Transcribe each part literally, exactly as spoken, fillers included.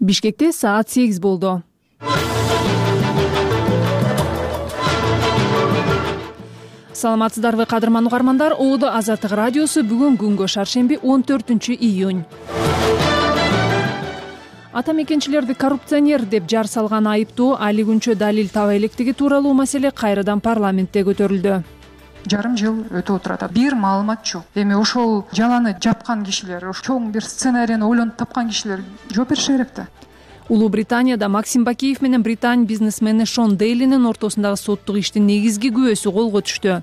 Бишкекте саат сегиз болду. Саламатсыздарбы кадырман угармандар, Оодо Азаттык радиосу бүгүн күнгө шаршемби он төртүнчү июнь. Ата мекенчилерди коррупционер деп жар салган айыптуу али күнчө далил таба электиги тууралуу маселе кайрадан парламентте көтөрүлдү. Жарым жыл өтүп отурат. Бир маалымат жок. Эми ошол жаланы жапкан кишилер, ошол чоң бир сценарийни ойлонуп тапкан кишилер жооп бериши керек да. Улуу Британияда Максим Бакиев менен британ бизнесмени Шон Дейлинин ортосундагы соттук иштин негизги күбөсү колго түштү.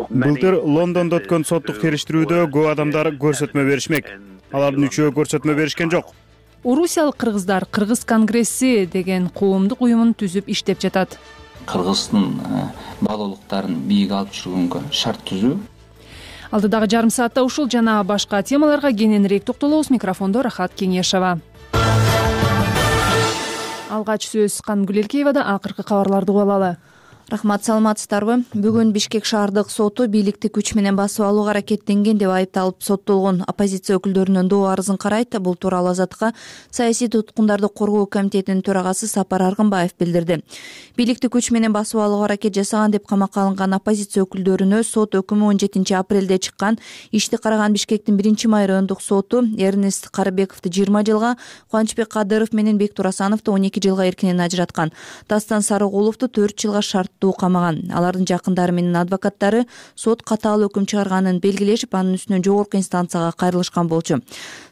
Былтыр Лондондо өткөн соттук териштирүүдө көп адамдар көрсөтмө беришмек. Алардын үчөө көрсөтмө беришкен жок. Орусиялык кыргыздар Кыргыз конгресси деген коомдук уюмун түзүп иштеп жатат. Кыргыздын баалуулуктарын бийик алып жүргөнгө шарт түзүү. Алдыдагы жарым саатта ушул жана башка темаларга кененирээк токтолобуз. Микрофондо Рахат Кеңешова. Алгач сөз Кангүл Элкеевада. Акыркы кабарларды угуп алалы. Рахмат, саламатсыздарбы? Бүгүн Бишкек шаардык соту бийликти күч менен басып алууга аракеттенген деп айыпталып соттолгон оппозиция өкүлдөрүнүн доо арызын карайт. Бул тууралуу Азаттыкка саясий туткундарды коргоо комитетинин төрагасы Сапар Аргынбаев билдирди. Бийликти күч менен басып алууга аракет жасаган деп камакка алынган оппозиция өкүлдөрүнө сот өкүмү он жетинчи апрелде чыккан. Ишти караган Бишкектин биринчи май райондук соту Эрнест Карыбековду жыйырма жылга, Кубанычбек Кадыров менен Бек Турасановду он эки жылга эркинен ажыраткан. Дастан Сарыгуловду төрт жылга шарт камаган. Алардын жакындары менен адвокаттары сот катаал өкүм чыгарганын белгилешип, анын үстүнөн жогорку инстанцияга кайрылышкан болчу.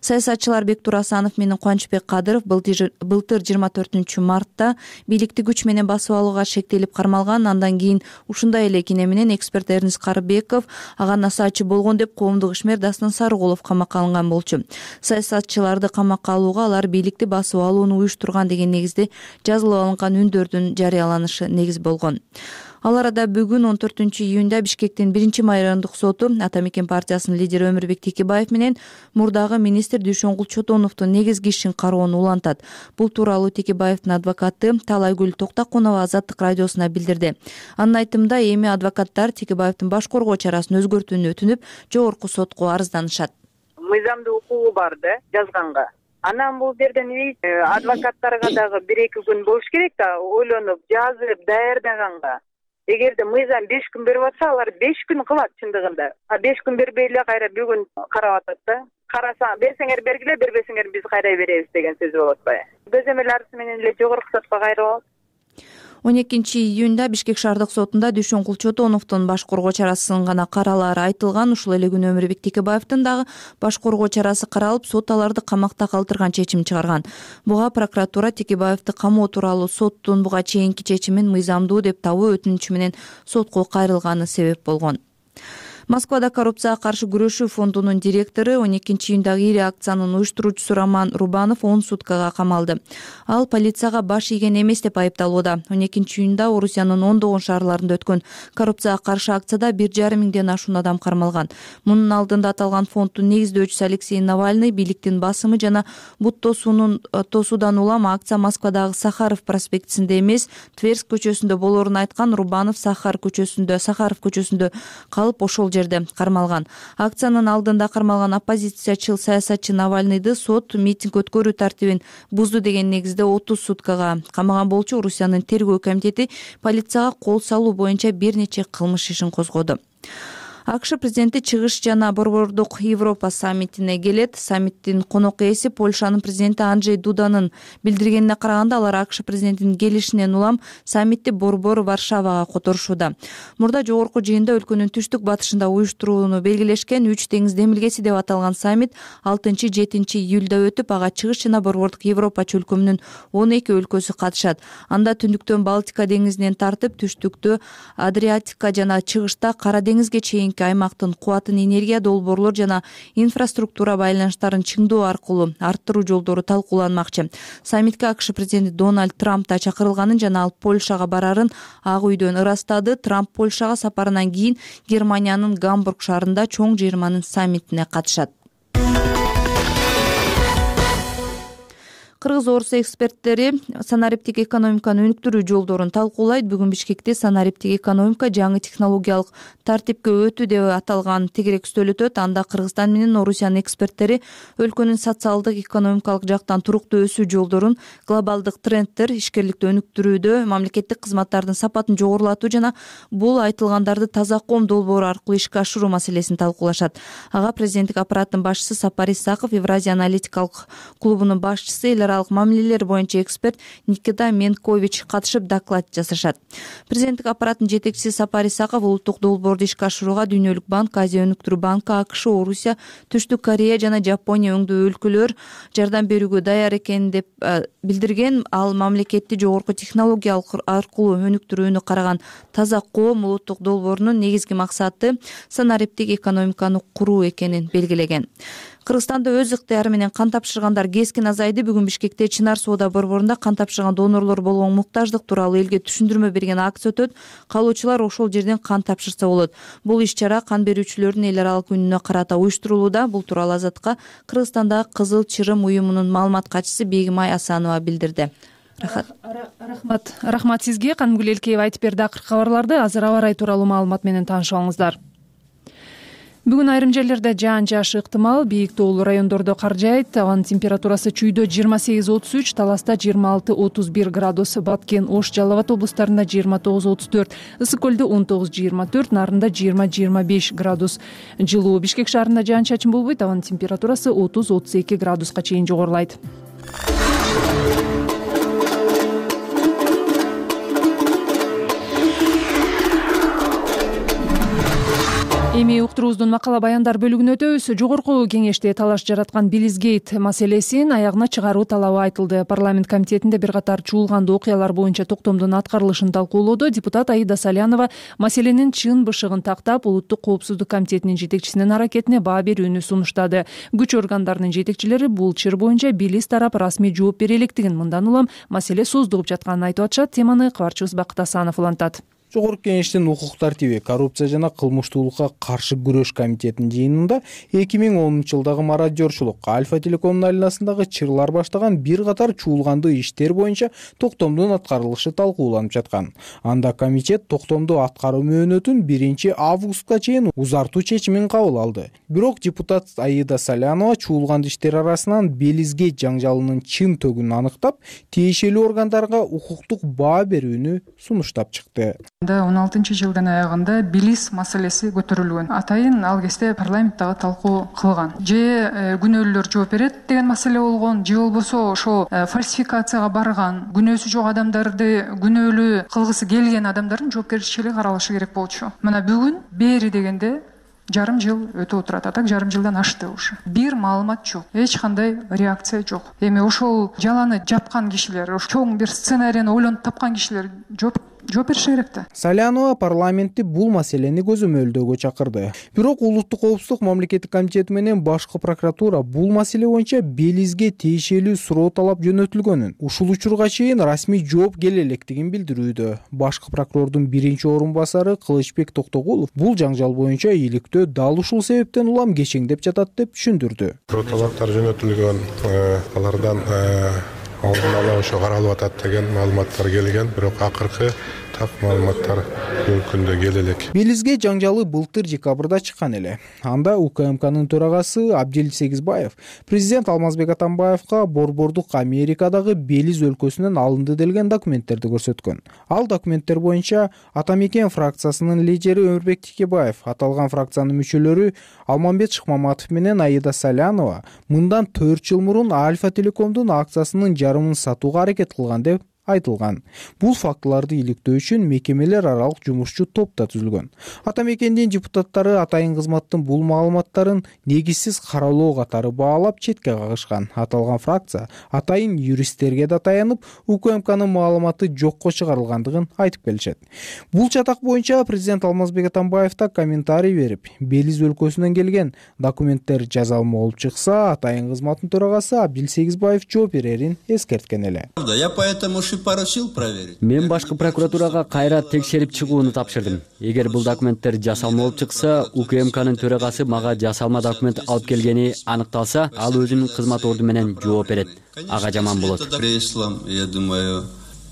Саясатчылар Бек Турасанов менен Кубанычбек Кадыров былтыр жыйырма төртүнчү мартта бийликти күч менен басып алууга шектелип кармалган. Андан кийин ушундай эле кине менен эксперт Эрнест Карыбеков ага насаатчы болгон деп коомдук ишмер Дастан Сарыгулов камакка алынган болчу. Саясатчыларды камакка алууга алар бийликти басып алууну уюштурган деген негизде жазылып алынган үндөрдүн жарыяланышы негиз болгон. Ал арада бүгүн он төртүнчү июнда Бишкектин биринчи май райондук соту Ата мекен партиясынын лидери Өмүрбек Текебаев менен мурдагы министр Дүйшөнгул Чотоновдун негизги ишин кароону улантат. Бул тууралуу Текебаевдин адвокаты Талайгүл Токтакунова Азаттык радиосуна билдирди. Анын айтымында, эми адвокаттар Текебаевдин баш коргоо чарасын өзгөртүүнү өтүнүп, жогорку сотко арызданышат. Мыйзамдуу укугу бар да жазганга. Анан бул жерден адвокаттарга дагы бир эки күн болуш керек да, ойлонуп, жазып, даярдаганга. Эгерде мыйзам беш күн берип атса, алар беш күн кылат чындыгында. А беш күн бербей эле кайра бүгүн карап атат да. Караса, берсеңер бергиле, бербесеңер биз кайра беребиз деген сөз болуп атпайбы? Көзөмөл арызы менен эле жогорку сотко кайрылабыз. он экинчи июнда Бишкек шаардык сотунда Дүйшөнгул Чотоновдун баш коргоо чарасынын гана каралаары айтылган. Ушул эле күнү Өмүрбек Текебаевдин дагы баш коргоо чарасы каралып, сот аларды камакта калтырган чечим чыгарган. Буга прокуратура Текебаевди камоо тууралуу соттун буга чейинки чечимин мыйзамдуу деп табуу өтүнүчү менен сотко кайрылганы себеп болгон. Москвада коррупцияга каршы күрөшүү фондунун директору он экинчи июндагы ири акциянын уюштуруучусу Роман Рубанов он суткага камалды. Ал полицияга баш ийген эмес деп айыпталууда. он экинчи июнда Орусиянын ондогон шаарларында өткөн коррупцияга каршы акцияда бир жарым миңден ашуун адам кармалган. Мунун алдында аталган фонддун негиздөөчүсү Алексей Навальный бийликтин басымы жана бут тосуунун тосуудан улам акция Москвадагы Сахаров проспектисинде эмес, Тверск көчөсүндө болоорун айткан Рубанов Сахар көчөсүндө, Сахаров көчөсүндө калып ошол жерде кармалган. Акциянын алдында кармалган оппозициячыл саясатчы Навальныйды сот митинг өткөрүү тартибин бузду деген негизде отуз суткага камаган болчу. Орусиянын тергөө комитети полицияга кол салуу боюнча бир нече кылмыш ишин козгоду. АКШ президенти Чыгыш жана Борбордук Европа саммитине келет. Саммиттин конок ээси Польшанын президенти Анджей Дуданын билдиргенине караганда, алар АКШ президентинин келишинен улам саммитти Борбор Варшавага которушууда. Мурда жогорку жыйында өлкөнүн түштүк батышында уюштурууну белгилешкен үч деңиз демилгеси деп аталган саммит алтынчы жетинчи июлда өтүп, ага Чыгыш жана Борбордук Европа чөлкөмүнүн он эки өлкөсү катышат. Анда түндүктөн Балтика деңизинен тартып, түштүктө Адриатика жана чыгышта Кара деңизге чейин аймактын кубатын, энергия, долбоорлор жана инфраструктура байланыштарын чыңдоо аркылуу арттыруу жолдору талкууланмакчы. Саммитке АКШ президенти Дональд Трамп да чакырылганын жана ал Польшага барарын Ак үйдөн ырастады. Трамп Польшага сапарынан кийин Германиянын Гамбург шаарында чоң жыйырманын саммитине катышат. Кыргыз орус эксперттери санариптик экономиканы өнүктүрүү жолдорун талкуулайт. Бүгүн Бишкекте санариптик экономика жаңы технологиялык тартипке өтүү деп аталган тегерек үстөл өтөт. Анда Кыргызстан менен Орусиянын эксперттери өлкөнүн социалдык, экономикалык жактан туруктуу өсүү жолдорун, глобалдык трендтер, ишкерликти өнүктүрүүдө мамлекеттик кызматтардын сапатын жогорулатуу жана бул айтылгандарды таза ком долбоору аркылуу ишке ашыруу маселесин талкуулашат. Ага президенттик аппараттын башчысы Сапар Исаков, Евразия аналитикалык клубунун башчысы, эл аралык мамилелер боюнча эксперт Никита Менкович катышып доклад жасашат. Президенттик аппараттын жетекчиси Сапар Исаков улуттук долбоорду ишке ашырууга Дүйнөлүк банк, Азия өнүктүрүү банкы, АКШ, Орусия, Түштүк Корея жана Жапония өңдүү өлкөлөр жардам берүүгө даяр экенин деп билдирген. Ал мамлекетти жогорку технологиялык аркылуу өнүктүрүүнү караган таза коом улуттук долбоорунун негизги максаты санариптик экономиканы куруу экенин белгилеген. Кыргызстанда өз ыктыяры менен кан тапшыргандар кескин азайды. Бүгүн Бишкекте Чынар соода борборунда кан тапшырган донорлор болгон муктаждык тууралуу элге түшүндүрмө берген акция өтөт. Калоочулар ошол жерден кан тапшырса болот. Бул иш-чара кан берүүчүлөрдүн эл аралык күнүнө карата уюштурулууда. Бул тууралуу Азатка Кыргызстандагы Кызыл Чырым уюмунун маалымат катчысы Бегимай Асанова билдирди. Рахмат. Рахмат сизге. Канымгүл Элкеева айтып берди акыркы кабарларды. Азыр аба ырайы тууралуу маалымат менен таанышып Бүгүн айрым жерлерде жаан жаашы ыктымал. Бийик тоолуу райондордо кар жаайт. Абанын температурасы Чүйдө жыйырма сегиз отуз үч, Таласта жыйырма алты отуз бир градус, Баткен, Ош, Жалал Абад облустарында жыйырма тогуз отуз төрт, Ысык көлдө он тогуз жыйырма төрт, Нарында жыйырма жыйырма беш градус жылуу. Бишкек шаарында жаан чачын болбойт. Абанын температурасы отуз отуз эки градуска чейин жогорулайт. Эми уктуруубуздун макала баяндар бөлүгүнө өтөбүз. Жогорку кеңеште талаш жараткан Билизгейт маселесин аягына чыгаруу талабы айтылды. Парламент комитетинде бир катар чуулгандуу окуялар боюнча токтомдун аткарылышын талкуулоодо депутат Аида Салянова маселенин чын бышыгын тактап, Улуттук коопсуздук комитетинин жетекчисинин аракетине баа берүүнү сунуштады. Күч органдарынын жетекчилери бул чыр боюнча Билис тарап расмий жооп бере электигин, мындан улам маселе создугуп жатканын айтып атышат. Теманы кабарчыбыз Бакыт Асанов улантат. Жогорку кеңештин укук тартиби, коррупция жана кылмыштуулукка каршы күрөш комитетинин жыйынында эки миң онунчу жылдагы мародёрчулук, Альфа Телекомдун айланасындагы чырлар баштаган бир катар чуулгандуу иштер боюнча токтомдун аткарылышы талкууланып жаткан. Анда комитет токтомду аткаруу мөөнөтүн биринчи августка чейин узартуу чечимин кабыл алды. Бирок депутат Аида Салянова чуулгандуу иштер арасынан Белизгейт жаңжалынын чын төгүнүн аныктап, тиешелүү органдарга укуктук баа берүүнү сунуштап чыкты. он алтынчы жылдын аягында Билис маселеси көтөрүлгөн. Атайын ал кезде парламенттагы талкуу кылган. Же күнөөлөр жооп берет деген маселе болгон, же болбосо ошо фальсификацияга барган, күнөөсү жок адамдарды күнөөлүү кылгысы келген адамдардын жоопкерчилиги каралышы керек болчу. Мына бүгүн бери дегенде жарым жыл өтүп отурат. Атак жарым жылдан ашты ушу. Бир маалымат жок. Эч кандай реакция жок. Эми ошол жаланы жапкан кишилер, ошо чоң бир сценарийни ойлонуп тапкан кишилер жооп жооп бериши керек да. Салянова парламентти бул маселени көзөмөлдөөгө чакырды. Бирок Улуттук коопсуздук мамлекеттик комитети менен башкы прокуратура бул маселе боюнча Белизге тиешелүү суроо талап жөнөтүлгөнүн, ушул учурга чейин расмий жооп келе электигин билдирүүдө. Башкы прокурордун биринчи орун басары Кылычбек Токтогулов бул жаңжал боюнча иликтөө дал ушул себептен улам кечеңдеп жатат деп түшүндүрдү. Суроо талаптар жөнөтүлгөн, алардан алдын ала ошо каралып атат деген маалыматтар келген, бирок акыркы так маалыматтар күндө келе элек. Белизге жаңжалы былтыр декабрда чыккан эле. Анда УКМКнын төрагасы Абдил Сегизбаев президент Алмазбек Атамбаевка борбордук Америкадагы Белиз өлкөсүнөн алынды делген документтерди көрсөткөн. Ал документтер боюнча Атамекен фракциясынын лидери Өмүрбек Текебаев, аталган фракциянын мүчөлөрү Алмамбет Шыкмаматов менен Аида Салянова мындан төрт жыл мурун Альфа Телекомдун акциясынын жарымын сатууга аракет кылган деп айтылган. Бул фактыларды иликтөө үчүн мекемелер аралык жумушчу топ да түзүлгөн. Атамекендин депутаттары атайын кызматтын бул маалыматтарын негизсиз каралоо катары баалап четке кагышкан. Аталган фракция атайын юристтерге да таянып, УКМКнын маалыматы жокко чыгарылгандыгын айтып келишет. Бул чатак боюнча президент Алмазбек Атамбаев да комментарий берип, Белиз өлкөсүнөн келген документтер жазалма болуп чыкса, атайын кызматтын төрагасы Абдил Сегизбаев жооп берерин эскерткен эле. Я поэтому поручил проверить. Мен башкы прокуратурага кайра текшерип чыгууну тапшырдым. Эгер бул документтер жасалма болуп чыкса, УКМКнын төрагасы мага жасалма документ алып келгени аныкталса, ал өзүнүн кызмат орду менен жооп берет. Ага жаман болот. Я думаю,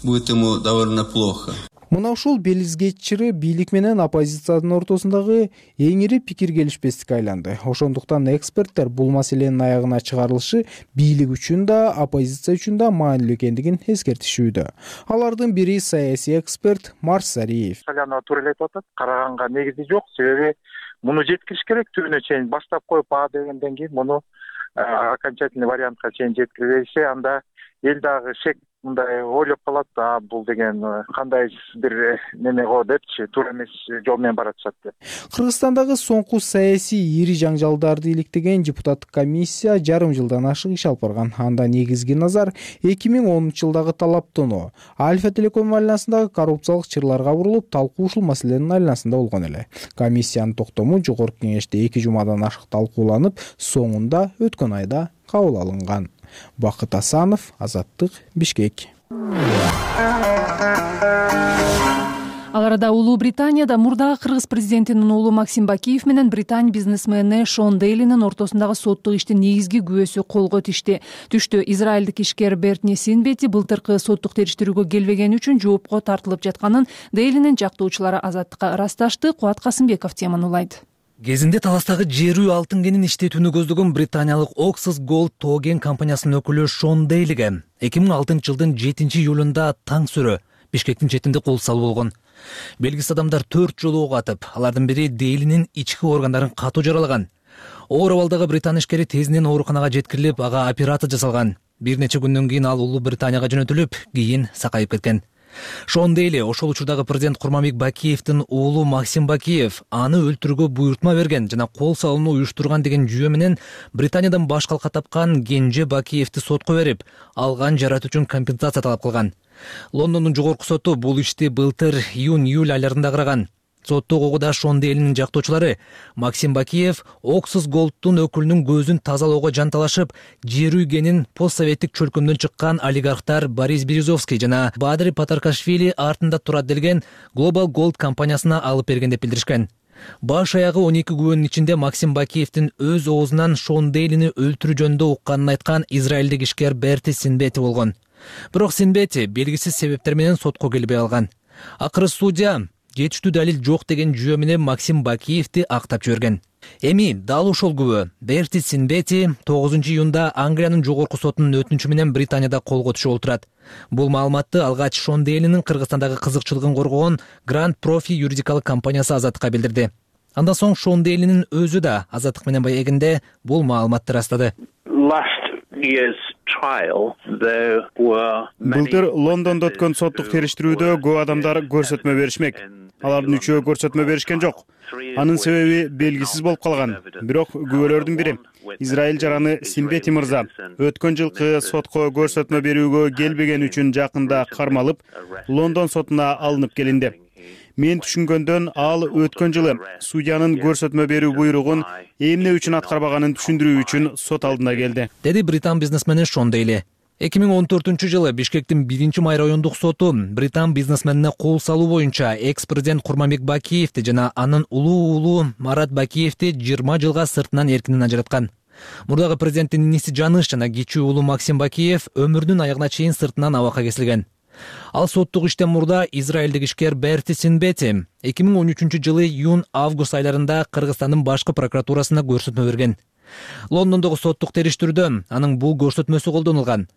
будет ему довольно плохо. Мына ушул Белизгейт чыры бийлик менен оппозициянын ортосундагы эң ири пикир келишпестикке айланды. Ошондуктан эксперттер бул маселенин аягына чыгарылышы бийлик үчүн да, оппозиция үчүн да маанилүү экендигин эскертишүүдө. Алардын бири саясий эксперт Марс Сариев. Салянова туура эле айтып атат. Караганга негизи жок, себеби муну жеткириш керек, түбүнө чейин баштап коюп а дегенден кийин муну окончательный вариантка чейин жеткирбесе, анда эл дагы шек мындай ойлоп калат, а бул деген кандай бир неме го депчи, туура эмес жол менен баратышат деп. Кыргызстандагы соңку саясий ири жаңжалдарды иликтеген депутаттык комиссия жарым жылдан ашык иш алып барган. Анда негизги назар эки миң онунчу жылдагы талаптонуу Альфа Телеком айланасындагы коррупциялык чырларга бурулуп, талкуу ушул маселенин айланасында болгон эле. Комиссиянын токтому жогорку кеңеште эки жумадан ашык талкууланып, соңунда өткөн айда кабыл алынган. Бакыт Асанов, Азаттык, Бишкек. Ал арада Улуу Британияда мурдагы кыргыз президентинин уулу Максим Бакиев менен Британь бизнесмени Шон Дейлинин ортосундагы соттук иштин негизги күбөсү колго түштү. Түштү. Израилдик ишкер Бертни Синбети былтыркы соттук териштирүүгө келбегени үчүн жоопко тартылып жатканын Дейлинин жактоочулары Азаттыкка ырасташты. Кубат Касымбеков теманы улайт. Кезинде таластагы жерүү алтын кенин иштетүүнү көздөгөн британиялык Oxus Gold Togen компаниясынын өкүлү Шон Дейлиге эки миң алтынчы жылдын жетинчи июлунда таң сүрө Бишкектин четинде кол салуу болгон. Белгисиз адамдар төрт жолу ок атып, алардын бири Дейлинин ички органдарын катуу жаралаган. Оор абалдагы британ ишкери тезинен ооруканага жеткирилип, ага операция жасалган. Бир нече күндөн кийин ал Улуу Британияга жөнөтүлүп, кийин сакайып кеткен. Шон Дейли ошол учурдагы президент Курманбек Бакиевдин уулу Максим Бакиев аны өлтүрүүгө буйртма берген жана кол салууну уюштурган деген жүйө менен Британиядан баш калка тапкан Кенже Бакиевди сотко берип, алган жарат үчүн компенсация талап кылган. Лондондун жогорку соту бул ишти былтыр июнь-июль айларында караган. Соттук угуда Шон Дейлинин жактоочулары Максим Бакиев Oxus Gold'тун өкүлүнүн көзүн тазалоого жанталашып, жерүү кенин постсоветтик чөлкөмдөн чыккан олигархтар Борис Березовский жана Бадри Патаркашвили артында турат делген Global Gold компаниясына алып берген деп билдиришкен. Баш аягы он эки күбөнүн ичинде Максим Бакиевдин өз оозунан Шон Дейлини өлтүрүү жөнүндө укканын айткан израилдик ишкер Берти Синбети болгон. Бирок Синбети белгисиз себептер менен сотко келбей алган. Акыры судья жетиштүү далил жок деген жүйө менен Максим Бакиевди актап жиберген. Эми дал ошол күбө Берти Синбети тогузунчу июнда Англиянын жогорку сотунун өтүнүчү менен Британияда колго түшүп отурат. Бул маалыматты алгач Шон Дейлинин Кыргызстандагы кызыкчылыгын коргогон Grand Profi юридикалык компаниясы Азаттыкка билдирди. Андан соң Шон Дейлинин өзү да Азаттык менен маегинде бул маалыматты ырастады. Былтыр Лондондо өткөн соттук териштирүүдө көп адамдар көрсөтмө беришмек. Алардын үчөө көрсөтмө беришкен жок. Анын себеби белгисиз болуп калган. Бирок күбөлөрдүн бири Израиль жараны Синбети мырза өткөн жылкы сотко көрсөтмө берүүгө келбеген үчүн жакында кармалып, Лондон сотуна алынып келинди. Мен түшүнгөндөн ал өткөн жылы судьянын көрсөтмө берүү буйругун эмне үчүн аткарбаганын түшүндүрүү үчүн сот алдына келди, деди британ бизнесмени Шон Дейли. эки миң он төртүнчү жылы Бишкектин биринчи май райондук соту британ бизнесменине кол салуу боюнча экс-президент Курманбек Бакиевди жана анын улуу уулу Марат Бакиевди жыйырма жылга сыртынан эркинен ажыраткан. Мурдагы президенттин иниси Жаныш жана кичүү уулу Максим Бакиев өмүрүнүн аягына чейин сыртынан абакка кесилген. Ал соттук иштен мурда израилдик ишкер Берти Синбети эки миң он үчүнчү жылы июнь-август айларында Кыргызстандын башкы прокуратурасына көрсөтмө берген. Лондондогу соттук териштирүүдө анын бул көрсөтмөсү колдонулган.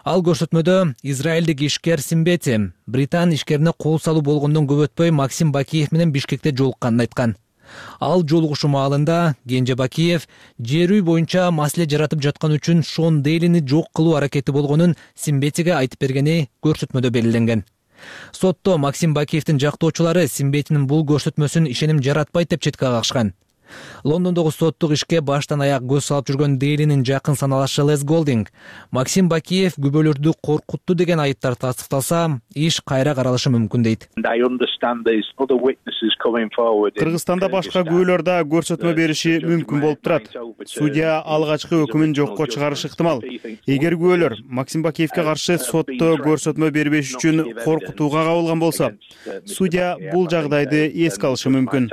Ал көрсөтмөдө израилдик ишкер Синбети британ ишкерине кол салуу болгондон көп өтпөй Максим Бакиев менен Бишкекте жолукканын айткан. Ал жолугушуу маалында Кенже Бакиев жерүү боюнча маселе жаратып жаткан үчүн Шон Дейлини жок кылуу аракети болгонун Синбетиге айтып бергени көрсөтмөдө белгиленген. Сотто Максим Бакиевдин жактоочулары Синбетинин бул көрсөтмөсүн ишеним жаратпайт деп четке кагышкан. Лондондогу соттук ишке баштан аяк көз салып жүргөн Дейлинин жакын саналашы Лес Голдинг Максим Бакиев күбөлөрдү коркутту деген айыптар тастыкталса, иш кайра каралышы мүмкүн дейт. Кыргызстанда башка күбөлөр да көрсөтмө бериши мүмкүн болуп турат. Судья алгачкы өкүмүн жокко чыгарышы ыктымал. Эгер күбөлөр Максим Бакиевке каршы сотто көрсөтмө бербеш үчүн коркутууга кабылган болсо, судья бул жагдайды эске алышы мүмкүн.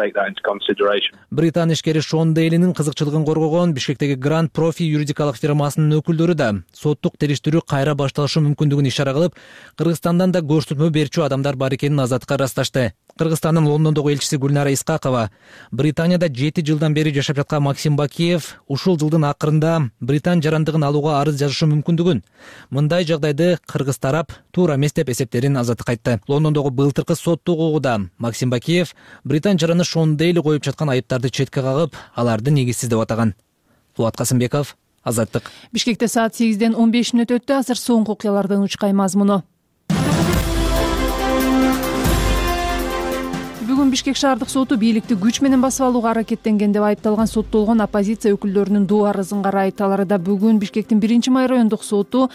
Британ ишкери Шон Дейлинин кызыкчылыгын коргогон Бишкектеги Grand Profi юридикалык фирмасынын өкүлдөрү да соттук териштирүү кайра башталышы мүмкүндүгүн ишара кылып, Кыргызстандан да көрсөтмө берчү адамдар бар экенин азаттыкка ырасташты. Кыргызстандын Лондондогу элчиси Гүлнара Искакова Британияда жети жылдан бери жашап жаткан Максим Бакиев ушул жылдын акырында Британ жарандыгын алууга арыз жазышы мүмкүндүгүн, мындай жагдайды кыргыз тарап туура эмес деп эсептерин азаттыкка айтты. Лондондогу былтыркы соттук угууда Максим Бакиев Британ жараны Шон Дейли коюп жаткан айыптарды четке кагып, аларды негизсиз деп атаган. Булат Касымбеков, Азаттык. Бишкекте саат сегизден он беш мүнөт өттү. Азыр соңку окуялардын учкай мазмуну. Бүгүн Бишкек шаардык соту бийликти күч менен басып алууга аракеттенген деп айыпталган соттолгон оппозиция өкүлдөрүнүн доо арызын карайт. Аларда бүгүн Бишкектин биринчи май райондук соту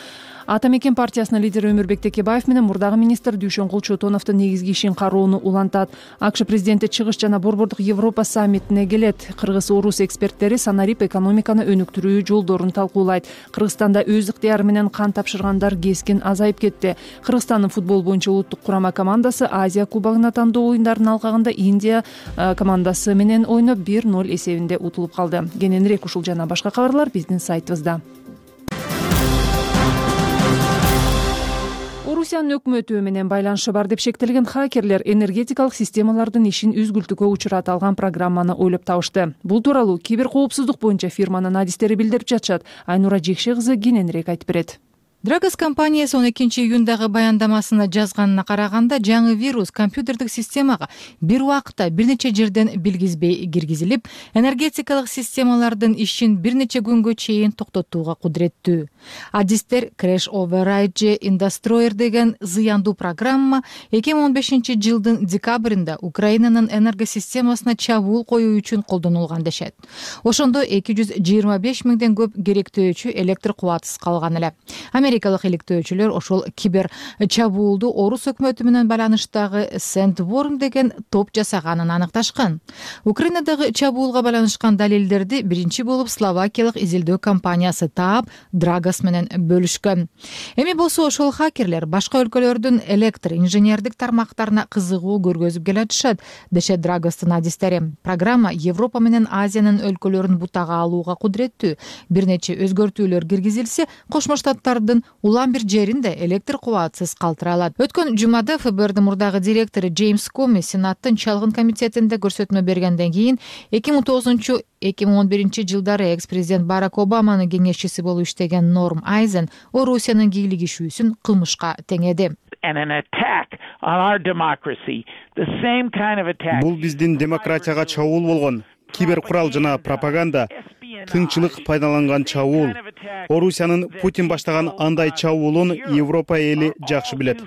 Ата мекен партиясынын лидери Өмүрбек Текебаев менен мурдагы министр Дүйшөнкул Чотоновдун негизги ишин кароону улантат. АКШ президенти чыгыш жана борбордук Европа саммитине келет. Кыргыз-орус эксперттери санарип экономиканы өнүктүрүү жолдорун талкуулайт. Кыргызстанда өз ыктыяры менен кан тапшыргандар кескин азайып кетти. Кыргызстандын футбол боюнча улуттук курама командасы Азия кубогуна тандоо оюндарынын алкагында Индия командасы менен ойноп бир ноль эсебинде утулуп калды. Кененирээк ушул жана башка кабарлар биздин сайтыбызда. Орусиянын өкмөтү менен байланышы бар деп шектелген хакерлер энергетикалык системалардын ишин үзгүлтүүгө учурата алган программаны ойлоп табышты. Бул тууралуу киберкоопсуздук боюнча фирманын адистери билдирип жатышат. Айнура Жекше кызы кененирээк айтып берет. Драгос компаниясы он экинчи июндагы баяндамасына жазганына караганда, жаңы вирус компьютердик системага бир убакытта бир нече жерден билгизбей киргизилип, энергетикалык системалардын ишин бир нече күнгө чейин токтотууга кудуреттүү. Адистер Crash Override же Indestroyer деген зыяндуу программа эки миң он бешинчи жылдын декабрында Украинанын энергосистемасына чабуул коюу үчүн колдонулган дешет. Ошондо эки жүз жыйырма беш миңден көп керектөөчү электр кубатсыз калган эле. Америкалык иликтөөчүлөр ошол кибер чабуулду орус өкмөтү менен байланыштагы Sandworm деген топ жасаганын аныкташкан. Украинадагы чабуулга байланышкан далилдерди биринчи болуп словакиялык изилдөө компаниясы таап, Драгос менен бөлүшкөн. Эми болсо ошол хакерлер башка өлкөлөрдүн электр инженердик тармактарына кызыгуу көргөзүп келатышат, дешет Драгостун адистери. Программа Европа менен Азиянын өлкөлөрүн бутага алууга кудуреттүү. Бир нече өзгөртүүлөр киргизилсе, Кошмо Штаттардын улам бир жеринде электр кубатсыз калтыра алат. Өткөн жумада ФБРдин мурдагы директору Джеймс Коми Сенаттын чалгын комитетинде көрсөтмө бергенден кийин эки миң тогузунчу эки миң он биринчи жылдары экс-президент Барак Обаманын кеңешчиси болуп иштеген Норм Айзен Орусиянын кийлигишүүсүн кылмышка теңеди. Бул биздин демократияга чабуул болгон кибер курал жана пропаганда, тынчылык пайдаланган чабуул. Орусиянын Путин баштаган андай чабуулун Европа эли жакшы билет.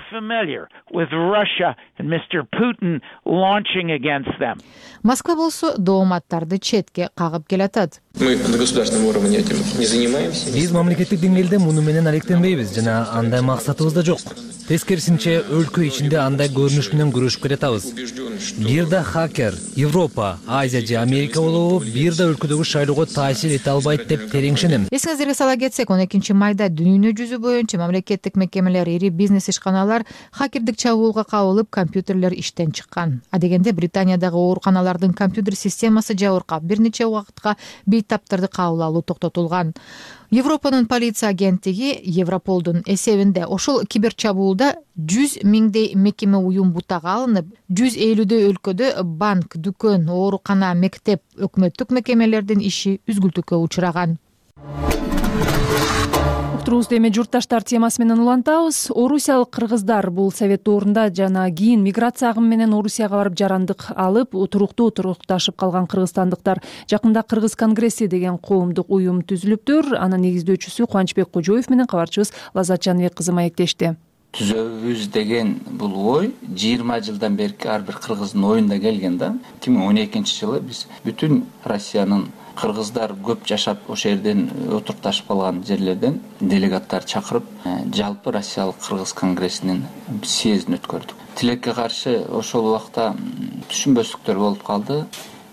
Москва болсо дооматтарды четке кагып келатат. Биз мамлекеттик деңгээлде муну менен алектенбейбиз жана андай максатыбыз да жок. Тескерисинче өлкө ичинде андай көрүнүш менен күрөшүп келатабыз. Бир да хакер Европа, Азия же Америка болобу бир да өлкөдөгү шайлоого таасир эте албайт деп терең ишенем. Эсиңиздерге сала кетсек, он экинчи майда дүйнө жүзү боюнча мамлекеттик мекемелер, ири бизнес ишканалар хакердик чабуулга кабылып, компьютерлер иштен чыккан. Адегенде Британиядагы ооруканалардын компьютер системасы жабыркап, бир нече убакытка бейтаптарды кабыл алуу токтотулган. Европанын полиция агенттиги Европолдун эсебинде ошол киберчабуулда жүз миңдей мекеме уюм бутага алынып, жүз элүүдөй өлкөдө банк, дүкөн, оорукана, мектеп, өкмөттүк мекемелердин иши үзгүлтүккө учураган. Уктуруубузду эми журтташтар темасы менен улантабыз. Орусиялык кыргыздар бул совет доорунда жана кийин миграция агымы менен Орусияга барып жарандык алып, туруктуу турукташып калган кыргызстандыктар. Жакында Кыргыз конгресси деген коомдук уюм түзүлүптүр. Анын негиздөөчүсү Кубанычбек Кожоев менен кабарчыбыз Лаззат Жаныбек кызы маектешти. түзөбүз деген бул ой жыйырма жылдан берки ар бир кыргыздын оюнда келген да. эки миң он экинчи жылы биз бүтүн Россиянын кыргыздар көп жашап ошол жерден отурукташып калган жерлерден делегаттар чакырып жалпы Россиялык кыргыз конгрессинин съездин өткөрдүк. Тилекке каршы ошол убакта түшүнбөстүктөр болуп калды.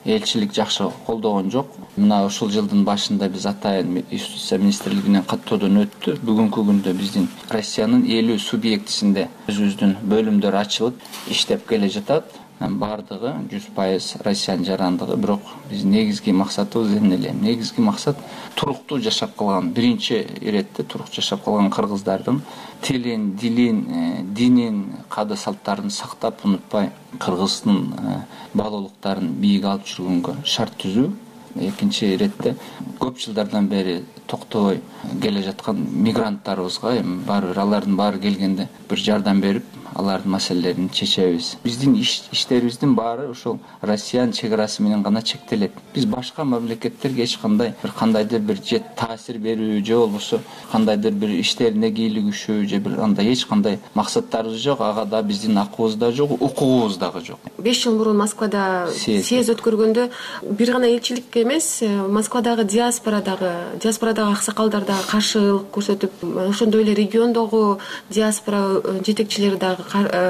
Элчилик жакшы колдогон жок. Мына ушул жылдын башында биз атайын Юстиция министрлигинен каттоодон өттү. Бүгүнкү күндө биздин Россиянын элүү субъектисинде өзүбүздүн бөлүмдөр ачылып иштеп келе жатат. Бардыгы жүз пайыз Россиянын жарандыгы. Бирок биздин негизги максатыбыз эмне эле? Негизги максат туруктуу жашап калган, биринчи иретте туруктуу жашап калган кыргыздардын тилин, дилин, динин, каада салттарын сактап, унутпай кыргыздын баалуулуктарын бийик алып жүргөнгө шарт түзүү. Экинчи иретте көп жылдардан бери токтобой келе жаткан мигранттарыбызга эми баары бир алардын баары келгенде бир жардам берип, алардын маселелерин чечебиз. Биздин иштерибиздин баары ошол Россиянын чек арасы менен гана чектелет. Биз башка мамлекеттерге эч кандай бир кандайдыр бир же таасир берүү же болбосо кандайдыр бир иштерине кийлигишүү же бир андай эч кандай максаттарыбыз жок. Ага да биздин акыбыз да жок, укугубуз дагы жок. беш жыл мурун Москвада съезд өткөргөндө бир гана элчилик эмес, Москвадагы диаспорадагы диаспорадагы аксакалдар дагы каршылык көрсөтүп, ошондой эле региондогу диаспора жетекчилери дагы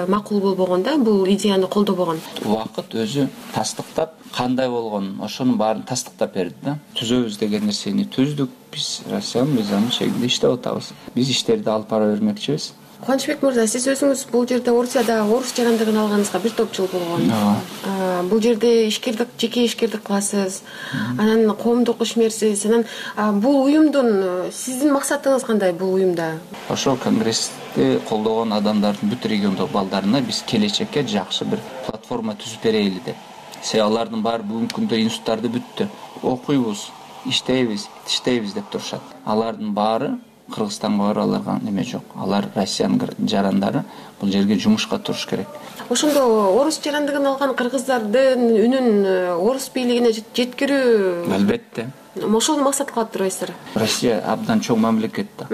макул болбогон да, бул идеяны колдобогон. Убакыт өзү тастыктап, кандай болгон ошонун баарын тастыктап берди да. Түзөбүз деген нерсени түздүк. Биз Россиянын мыйзамы чегинде иштеп атабыз. Биз иштерди алып бара бермекчибиз. Кубанычбек мырза, сиз өзүңүз бул жерде Орусияда орус жарандыгын алганыңызга бир топ жыл болгон. Бул жерде ишкердик, жеке ишкердик кыласыз, анан коомдук ишмерсиз. Анан бул уюмдун сиздин максатыңыз кандай бул уюмда? Ошол конгрессти колдогон адамдардын бүт региондогу балдарына биз келечекке жакшы бир платформа түзүп берели деп. Себеби алардын баары бүгүнкү күндө институттарды бүттү. Окуйбуз, иштейбиз, иштейбиз деп турушат. Алардын баары Кыргызстанга барып аларга неме жок. Алар Россиянын жарандары, бул жерге жумушка туруш керек. Ошондо орус жарандыгын алган кыргыздардын үнүн орус бийлигине жеткирүү албетте. Ошону максат кылып турбайсыздар. Россия абдан чоң мамлекет да.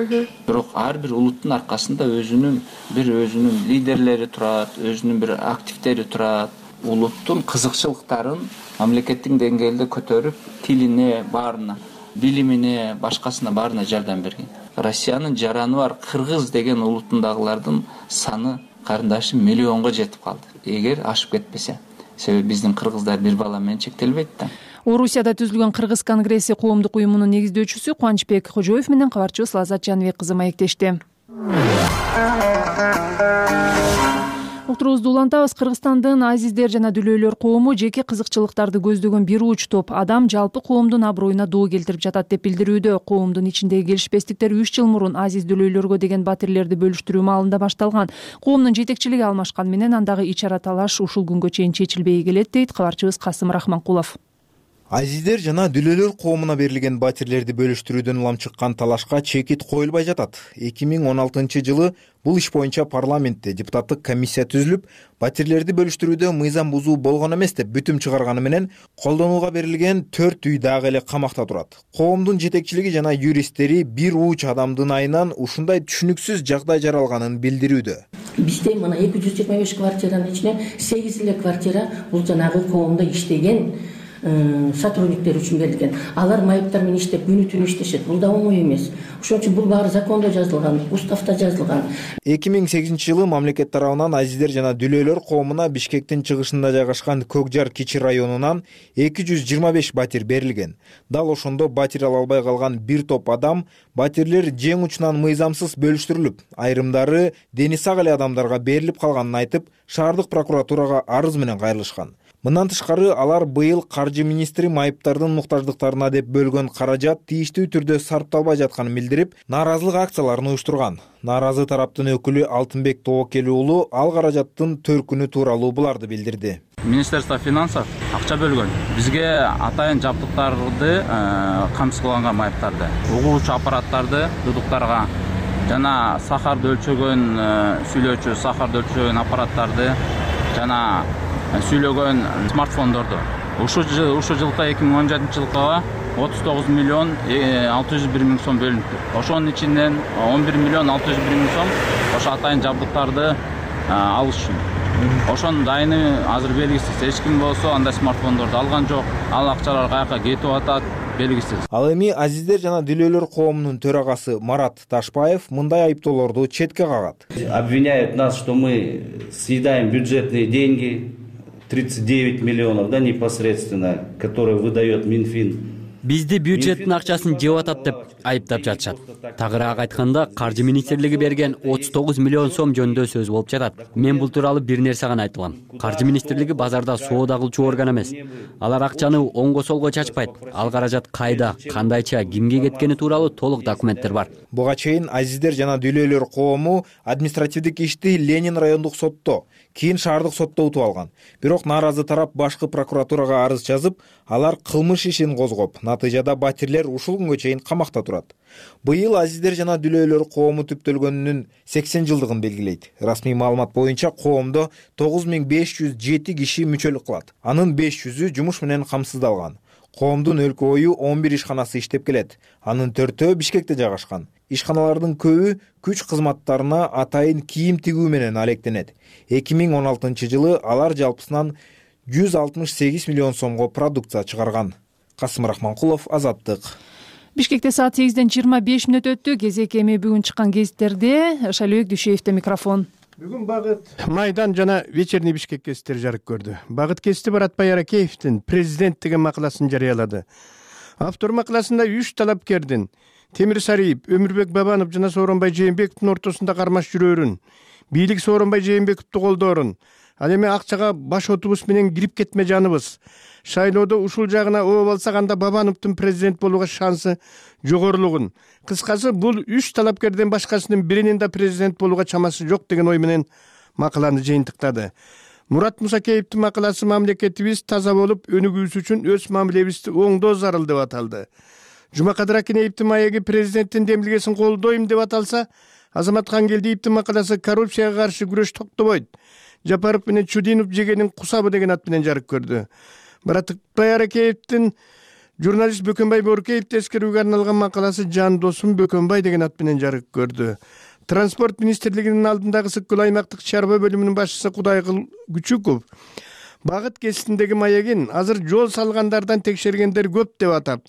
Бирок ар бир улуттун аркасында өзүнүн бир өзүнүн лидерлери турат, өзүнүн бир активдери турат. Улуттун кызыкчылыктарын мамлекеттин деңгээлде көтөрүп, тилине, баарына, билимине, башкасына баарына жардам берген. Россиянын жараны бар кыргыз деген улутундагылардын саны карындашы миллионго жетип калды. Эгер ашып кетпесе. Себеби биздин кыргыздар бир бала менен чектелбейт да. Орусияда түзүлгөн Кыргыз конгресси коомдук уюмунун негиздөөчүсү Кубанычбек Кожоев менен кабарчыбыз Лазат Жаныбек кызы маектешти. Уктуруубузду улантабыз. Кыргызстандын азиздер жана дүлөйлөр коому жеке кызыкчылыктарды көздөгөн бир уч топ адам жалпы коомдун аброюна доо келтирип жатат деп билдирүүдө. Коомдун ичиндеги келишпестиктер үч жыл мурун азиз дүлөйлөргө деген батирлерди бөлүштүрүү маалында башталган. Коомдун жетекчилиги алмашкан менен андагы ич-ара талаш ушул күнгө чейин чечилбей келет, дейт кабарчыбыз Касым Рахманкулов. Азиздер жана дүлөйлөр коомуна берилген батирлерди бөлүштүрүүдөн улам чыккан талашка чекит коюлбай жатат. эки миң он алтынчы жылы бул иш боюнча парламентте депутаттык комиссия түзүлүп, батирлерди бөлүштүрүүдө мыйзам бузуу болгон эмес деп бүтүм чыгарганы менен колдонууга берилген төрт үй дагы эле камакта турат. Коомдун жетекчилиги жана юристтери бир уч адамдын айынан ушундай түшүнүксүз жагдай жаралганын билдирүүдө. Бизде мына эки жүз жыйырма беш квартиранын ичинен сегиз эле квартира бул жанагы коомдо иштеген сотрудниктер үчүн берилген. Алар майыптар менен иштеп күнү түнү иштешет. Бул да оңой эмес. Ошон үчүн бул баары закондо жазылган, уставда жазылган. эки миң сегизинчи жылы мамлекет тарабынан азиздер жана дүлөйлөр коомуна Бишкектин чыгышында жайгашкан Көкжар кичи районунан эки жүз жыйырма беш батир берилген. Дал ошондо батир ала албай калган бир топ адам батирлер жең учунан мыйзамсыз бөлүштүрүлүп, айрымдары дени сак эле адамдарга берилип калганын айтып, шаардык прокуратурага арыз менен кайрылышкан. Мындан тышкары алар быйыл каржы министри майыптардын муктаждыктарына деп бөлгөн каражат тийиштүү түрдө сарпталбай жатканын билдирип, нааразылык акцияларын уюштурган. Нааразы тараптын өкүлү Алтынбек Тобокели уулу ал каражаттын төркүнү тууралуу буларды билдирди. Министерство финансов акча бөлгөн. Бизге атайын жабдыктарды камсыз кылган майыптарды, угуучу аппараттарды дудуктарга жана сахарды өлчөгөн сүйлөөчү сахарды өлчөгөн аппараттарды жана сүйлөгөн смартфондорду. Ушул ушул жылкы эки миң он жетинчи жылкыга отуз тогуз миллион алты жүз бир миң сом бөлүнүптүр. Ошонун ичинен он бир миллион алты жүз бир миң сом ошо атайын жабдыктарды алыш үчүн. Ошонун дайыны азыр белгисиз. Эч ким болсо андай смартфондорду алган жок. Ал акчалар каяка кетип атат белгисиз. Ал эми азиздер жана дүлөөлөр коомунун төрагасы Марат Ташбаев мындай айыптоолорду четке кагат. Обвиняют нас, что мы съедаем бюджетные деньги, тридцать девять миллионов, да, непосредственно, которые выдает Минфин. Бизди бюджеттин акчасын жеп атат деп айыптап жатышат. Тагыраак айтканда, каржы министрлиги берген отуз тогуз миллион сом жөнүндө сөз болуп жатат. Мен бул тууралуу бир нерсе гана айта алам. Каржы министрлиги базарда соода кылчу орган эмес. Алар акчаны оңго солго чачпайт. Ал каражат кайда, кандайча, кимге кеткени тууралуу толук документтер бар. Буга чейин азиздер жана дүлөөлөр коому административдик ишти Ленин райондук сотто, кийин шаардык сотто утуп алган. Бирок нааразы тарап башкы прокуратурага арыз жазып, алар кылмыш ишин козгоп, натыйжада батирлер ушул күнгө чейин камакта турат. Быйыл азиздер жана дүлөөлөр коому түптөлгөнүнүн сексен жылдыгын белгилейт. Расмий маалымат боюнча коомдо тогуз миң беш жүз жети киши мүчөлүк кылат. Анын беш жүзү жумуш менен камсыздалган. Коомдун өлкө бою он бир ишканасы иштеп келет. Анын төртөө Бишкекте жайгашкан. Ишканалардын көбү күч кызматтарына атайын кийим тигүү менен алектенет. эки миң он алтынчы жылы алар жалпысынан жүз алтымыш сегиз миллион сомго продукция чыгарган. Касым Рахманкулов, Азаттык. Бишкекте саат сегизден жыйырма беш мүнөт өттү. Кезек эми бүгүн чыккан гезиттерде. Шалыбек Дүйшеевде микрофон. Бүгүн Багыт Майдан жана Вечерний Бишкек гезиттери жарык көрдү. Багыт гезити Баратбай Аракеевдин президент деген макаласын жарыялады. Автор макаласында үч талапкердин Темир Сариев, Өмүрбек Бабанов жана Сооронбай Жээнбековдун ортосунда кармаш жүрөөрүн, бийлик Сооронбай Жээнбековду колдоорун, ал эми акчага баш отубуз менен кирип кетме жаныбыз. Шайлоодо ушул жагына ооп алсак, анда Бабановдун президент болууга шансы жогорулугун. Кыскасы, бул үч талапкерден башкасынын биринин да президент болууга чамасы жок деген ой менен макаланы жыйынтыктады. Мурат Мусакеевдин макаласы мамлекетибиз таза болуп өнүгүүсү үчүн өз мамилебизди оңдоо зарыл деп аталды. Жумакадыр Акинеевдин маеги президенттин демилгесин колдойм деп аталса, Азамат Хангелдиевдин макаласы коррупцияга каршы күрөш токтобойт. Жапаров менен Чудинов жегенин кусабы деген ат менен жарык көрдү. Баратбай Аракеевдин журналист Бөкөнбай Боорукеевди эскерүүгө арналган макаласы Жан досум Бөкөнбай деген ат менен жарык көрдү. Транспорт министрлигинин алдындагы Сыккөл аймактык чарба бөлүмүнүн башчысы Кудайкыл Күчүков Багыт гезитиндеги маегин азыр жол салгандардан текшергендер көп деп атап,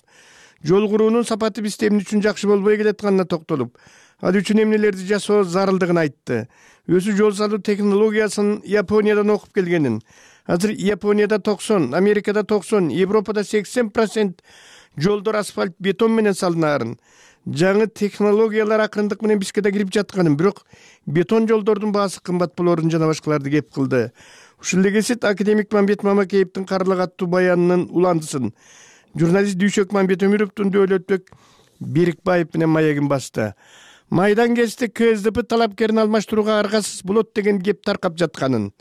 жол куруунун сапаты бизде эмне үчүн жакшы болбой келатканына токтолуп, ал үчүн эмнелерди жасоо зарылдыгын айтты. Өзү жол салуу технологиясын Япониядан окуп келгенин, азыр Японияда токсон, Америкада токсон, Европада сексен процент жолдор асфальт бетон менен салынаарын, жаңы технологиялар акырындык менен бизге да кирип жатканын, бирок бетон жолдордун баасы кымбат болоорун жана башкаларды кеп кылды. Ушул гезит академик Мамбет Мамакеевдин Карлык аттуу баянынын уландысын журналист Дүйшөк Мамбет Өмүрөвдүн Дөөлөтбек Берикбаев менен маегин басты. Майдан гезити КСДП талапкерин алмаштырууга аргасыз болот деген кеп таркап жатканын,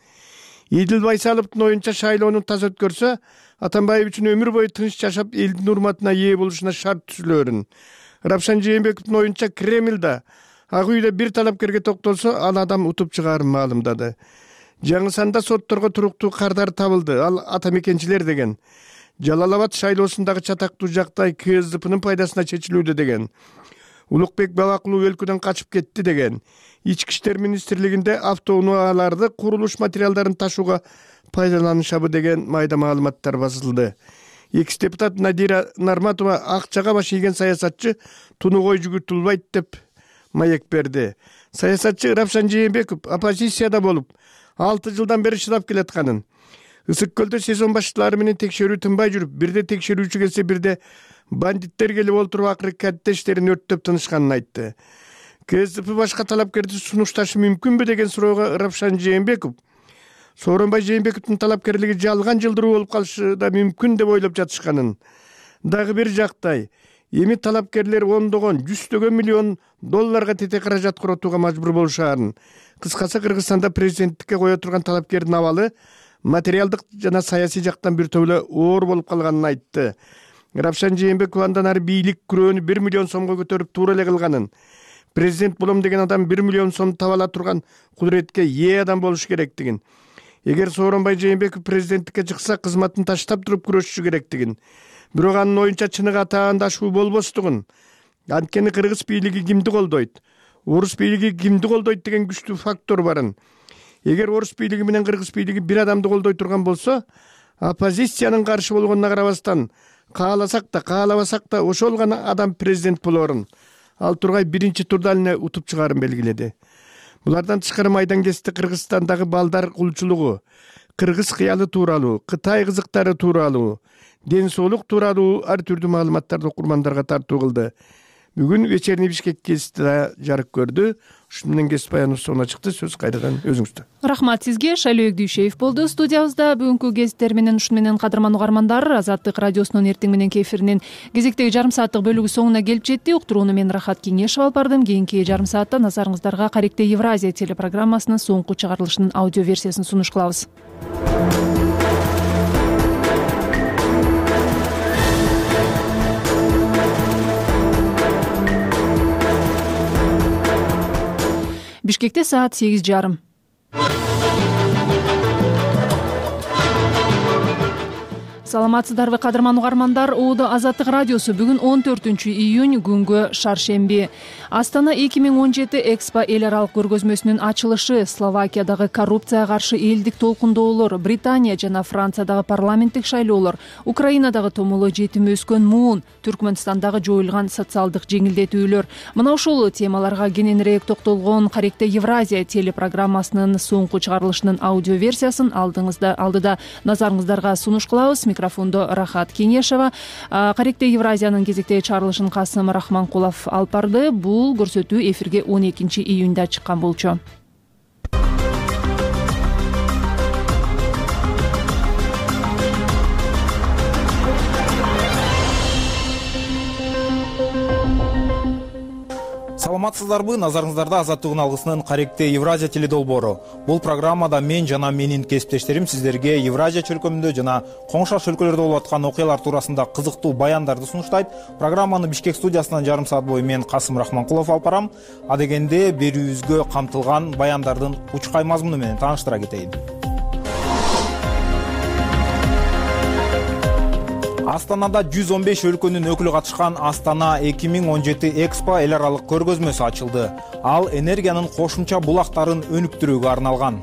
Идил Байсаловдун оюнча шайлоону таза өткөрсө, Атамбаев үчүн өмүр бою тынч жашап элдин урматына ээ болушуна шарт түзүлөөрүн, Рапшан Жээнбековдун оюнча Кремльда Ак үйдө бир талапкерге токтолсо, ал адам утуп чыгаарын маалымдады. Жаңы санда сотторго туруктуу кардар табылды, ал атамекенчилер деген. Жалал Абад шайлоосундагы чатактуу жактай КСДПнын пайдасына чечилүүдө деген. Улукбек Бабакулов өлкөдөн качып кетти деген. Ички иштер министрлигинде автоунааларды курулуш материалдарын ташууга пайдаланышабы деген майда маалыматтар басылды. Экс депутат Надира Нарматова акчага баш ийген саясатчы тунугой жүгүртүлбайт деп маек берди. Саясатчы Рапшан Жээнбеков оппозицияда болуп, алты жылдан бери чыдап келатканын, Ысык көлдө сезон башчылары менен текшерүү тынбай жүрүп, бирде текшерүүчү келсе, бирде бандиттер келип олтуруп акыры каттештерин өрттөп тынышканын айтты. КСДП башка талапкерди сунушташы мүмкүнбү деген суроого Рапшан Жээнбеков Сооронбай Жээнбековдун талапкерлиги жалган жылдыруу болуп калышы да мүмкүн деп ойлоп жатышканын, дагы бир жактай эми талапкерлер ондогон, жүздөгөн миллион долларга тете каражат коротууга мажбур болушаарын, кыскасы Кыргызстанда президенттикке кое турган талапкердин абалы материалдык жана саясий жактан бир топ эле оор болуп калганын айтты. Рапшан Жээнбеков андан ары бийлик күрөөнү бир миллион сомго көтөрүп туура эле кылганын, президент болом деген адам бир миллион сом таба ала турган кудуретке ээ адам болуш керектигин, эгер Сооронбай Жээнбеков президенттикке чыкса кызматын таштап туруп күрөшүшү керектигин, бирок анын оюнча чыныгы атаандашуу болбостугун, анткени кыргыз бийлиги кимди колдойт, орус бийлиги кимди колдойт деген күчтүү фактор барын. Эгер орус бийлиги менен кыргыз бийлиги бир адамды колдой турган болсо, оппозициянын каршы болгонуна карабастан кааласак да, каалабасак да ошол гана адам президент болорун ал Тургай биринчи турда эле утуп чыгаарын белгиледи. Булардан тышкары майдангесте Кыргызстандагы балдар кулчулугу, кыргыз кыялы тууралуу, Кытай кызыктары тууралуу, ден соолук тууралуу ар түрдүү маалыматтарды окурмандарга тартуу кылды. Бүгүн вечерний Бишкек гезити да жарык көрдү. Ушун менен гезит баяныбыз соңуна чыкты. Сөз кайрадан өзүңүздө. Рахмат сизге. Шайлоо Дүйшеев болду студиябызда. Бүгүнкү гезиттер менен ушун менен кадырман угармандар, Азаттык радиосунун эртең мененки эфиринин кезектеги жарым сааттык бөлүгү соңуна келип жетти. Уктурууну мен Рахат Кеңешева алып бардым. Кийинки жарым саатта назарыңыздарга Каректе Евразия телепрограммасынын соңку чыгарылышынын аудио версиясын сунуш кылабыз. Бишкекте саат сегиз жарым. Саламатсыздарбы кадырман угармандар, Оодо Азаттык радиосу бүгүн он төртүнчү июнь күнгө шаршемби. Астана эки миң он жети Экспо эл аралык көргөзмөсүнүн ачылышы, Словакиядагы коррупцияга каршы элдик толкундоолор, Британия жана Франциядагы парламенттик шайлоолор, Украинадагы томоло жетим өскөн муун, Түркмөнстандагы жоюлган социалдык жеңилдетүүлөр. Мына ушул темаларга кененирээк токтолгон Каректе Евразия телепрограммасынын соңку чыгарылышынын аудио версиясын алдыңызда алдыда назарыңыздарга сунуш кылабыз. Микрофондо Рахат Кеңешева. Каректе Евразиянын кезектеги чыгарылышын Касым Рахманкулов алып барды. Бул көрсөтүү эфирге он экинчи июнда чыккан болчу. Саламатсыздарбы, назарыңыздарда Азаттыгын алгысынын Каректе Евразия теледолбоору. Бул программада мен жана менин кесиптештерим сиздерге Евразия чөлкөмүндө жана коңшаш өлкөлөрдө болуп аткан окуялар туурасында кызыктуу баяндарды сунуштайт. Программаны Бишкек студиясынан жарым саат бою мен Касым Рахманкулов алып барам. Адегенде берүүбүзгө камтылган баяндардын учкай мазмуну менен тааныштыра кетейин. Астанада жүз он беш өлкөнүн өкүлү катышкан Астана эки миң он жети Экспо эл аралык көргөзмөсү ачылды. Ал энергиянын кошумча булактарын өнүктүрүүгө арналган.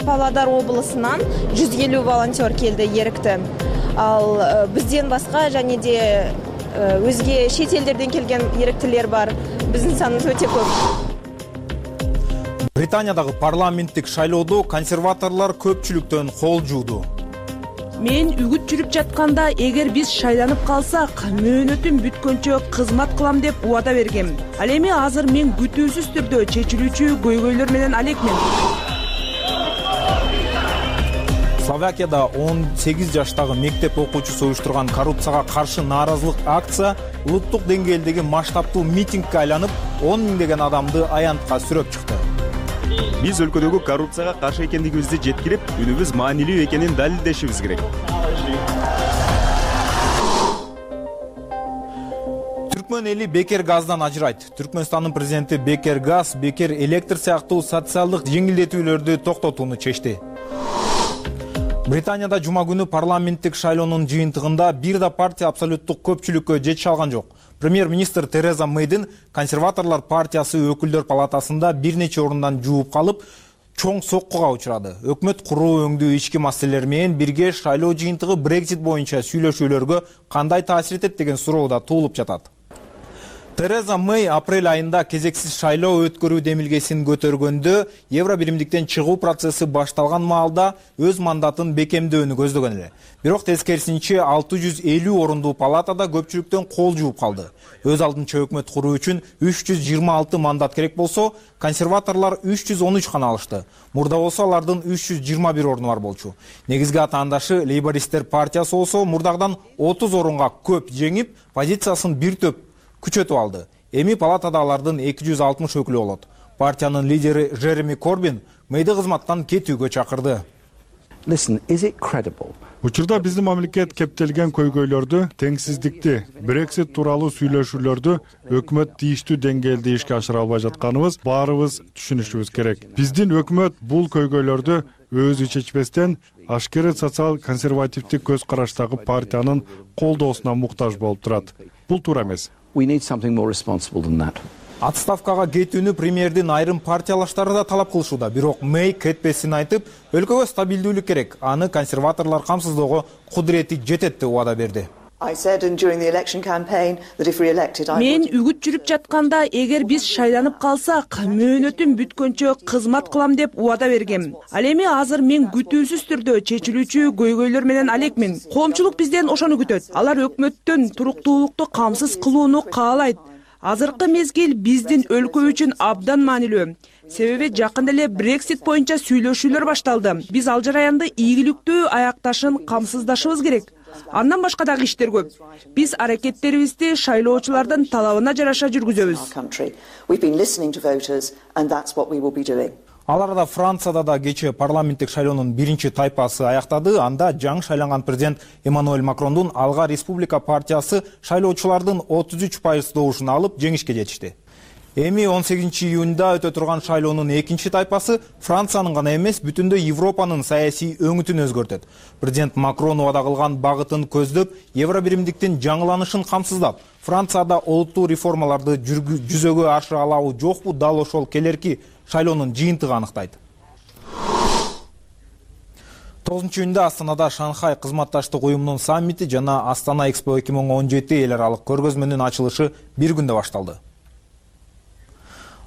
Павлодар облусунан жүз элүү волонтер келди эрикти. Ал бизден башка және де өзге чет элдерден келген эриктилер бар. Биздин саныбыз өтө көп. Британиядагы парламенттик шайлоодо консерваторлор көпчүлүктөн кол жууду. Мен үгүт жүрүп жатканда, эгер биз шайланып калсак, мөөнөтүм бүткөнчө кызмат кылам деп убада бергем. Ал эми азыр мен күтүүсүз түрдө чечилүүчү көйгөйлөр менен алекмин. Словакияда он сегиз жаштагы мектеп окуучусу уюштурган коррупцияга каршы нааразылык акция улуттук деңгээлдеги масштабтуу митингге айланып, он миңдеген адамды аянтка сүрөп чыкты. Биз өлкөдөгү коррупцияга каршы экендигибизди жеткирип, үнүбүз маанилүү экенин далилдешибиз керек. Түркмөн эли бекер газдан ажырайт. Түркмөнстандын президенти бекер газ, бекер электр сыяктуу социалдык жеңилдетүүлөрдү токтотууну чечти. Британияда жума күнү парламенттик шайлоонун жыйынтыгында бир да партия абсолюттук көпчүлүккө жете алган жок. Премьер-министр Тереза Мэйдин консерваторлор партиясы өкүлдөр палатасында бир нече орундан жууп калып, чоң соккуга учурады. Өкмөт куруу өңдүү ички маселелер менен бирге шайлоо жыйынтыгы Брексит боюнча сүйлөшүүлөргө кандай таасир этет деген суроо да туулуп жатат. Тереза Мэй апрель айында кезексиз шайлоо өткөрүү демилгесин көтөргөндө евро биримдиктен чыгуу процесси башталган маалда өз мандатын бекемдөөнү көздөгөн эле. Бирок тескерисинче алты жүз элүү орундуу палатада көпчүлүктөн кол жууп калды. Өз алдынча өкмөт куруу үчүн үч жүз жыйырма алты мандат керек болсо, консерваторлор үч жүз он үч гана алышты. Мурда болсо алардын үч жүз жыйырма бир орду бар болчу. Негизги атаандашы Лейбористтер партиясы болсо мурдагыдан отуз орунга көп жеңип, позициясын бир топ күчөтүп алды. Эми палатада алардын эки жүз алтымыш өкүлү болот. Партиянын лидери Жереми Корбин Мэйди кызматтан кетүүгө чакырды. Listen, is it credible? Учурда биздин мамлекет кептелген көйгөйлөрдү, теңсиздикти, Brexit тууралуу сүйлөшүүлөрдү өкмөт тийиштүү деңгээлде ишке ашыра албай жатканыбыз баарыбыз түшүнүшүбүз керек. Биздин өкмөт бул көйгөйлөрдү өзү чечпестен ашкере социал консервативдик көз караштагы партиянын колдоосуна муктаж болуп турат. Бул туура эмес. We need something more responsible than that. Отставкага кетүүнү премьердин айрым партиялаштары да талап кылышууда. Бирок Мэй кетпесин айтып, өлкөгө стабилдүүлүк керек. Аны консерваторлор камсыздоого кудурети жетет деп убада берди. Мен үгүт жүрүп жатканда, эгер биз шайланып калсак, мөөнөтүм бүткөнчө кызмат кылам деп убада бергем. Ал эми азыр мен күтүүсүз түрдө чечилүүчү көйгөйлөр менен алекмин. Коомчулук бизден ошону күтөт. Алар өкмөттөн туруктуулукту камсыз кылууну каалайт. Азыркы мезгил биздин өлкө үчүн абдан маанилүү. Себеби жакында эле Brexit боюнча сүйлөшүүлөр башталды. Биз ал жараянды ийгиликтүү аякташын камсыздашыбыз керек. Андан башка дагы иштер көп. Биз аракеттерибизди шайлоочулардын талабына жараша жүргүзөбүз. Ал арада Францияда да кечээ парламенттик шайлоонун биринчи тайпасы аяктады. Анда жаңы шайланган президент Эммануэль Макрондун Алга Республика партиясы шайлоочулардын отуз үч пайыз добушун алып жеңишке жетишти. Эми он сегизинчи июнда өтө турган шайлоонун экинчи тайпасы Франциянын гана эмес, бүтүндөй Европанын саясий өңүтүн өзгөртөт. Президент Макрон убада кылган багытын көздөп, евро биримдиктин жаңыланышын камсыздап, Францияда олуттуу реформаларды жүзөгө ашыра алабы жокпу, дал ошол келерки шайлоонун жыйынтыгы аныктайт. тогузунчу июнда Астанада Шанхай кызматташтык уюмунун саммити жана Астана Экспо эки миң он жети эл аралык көргөзмөнүн ачылышы бир күндө башталды.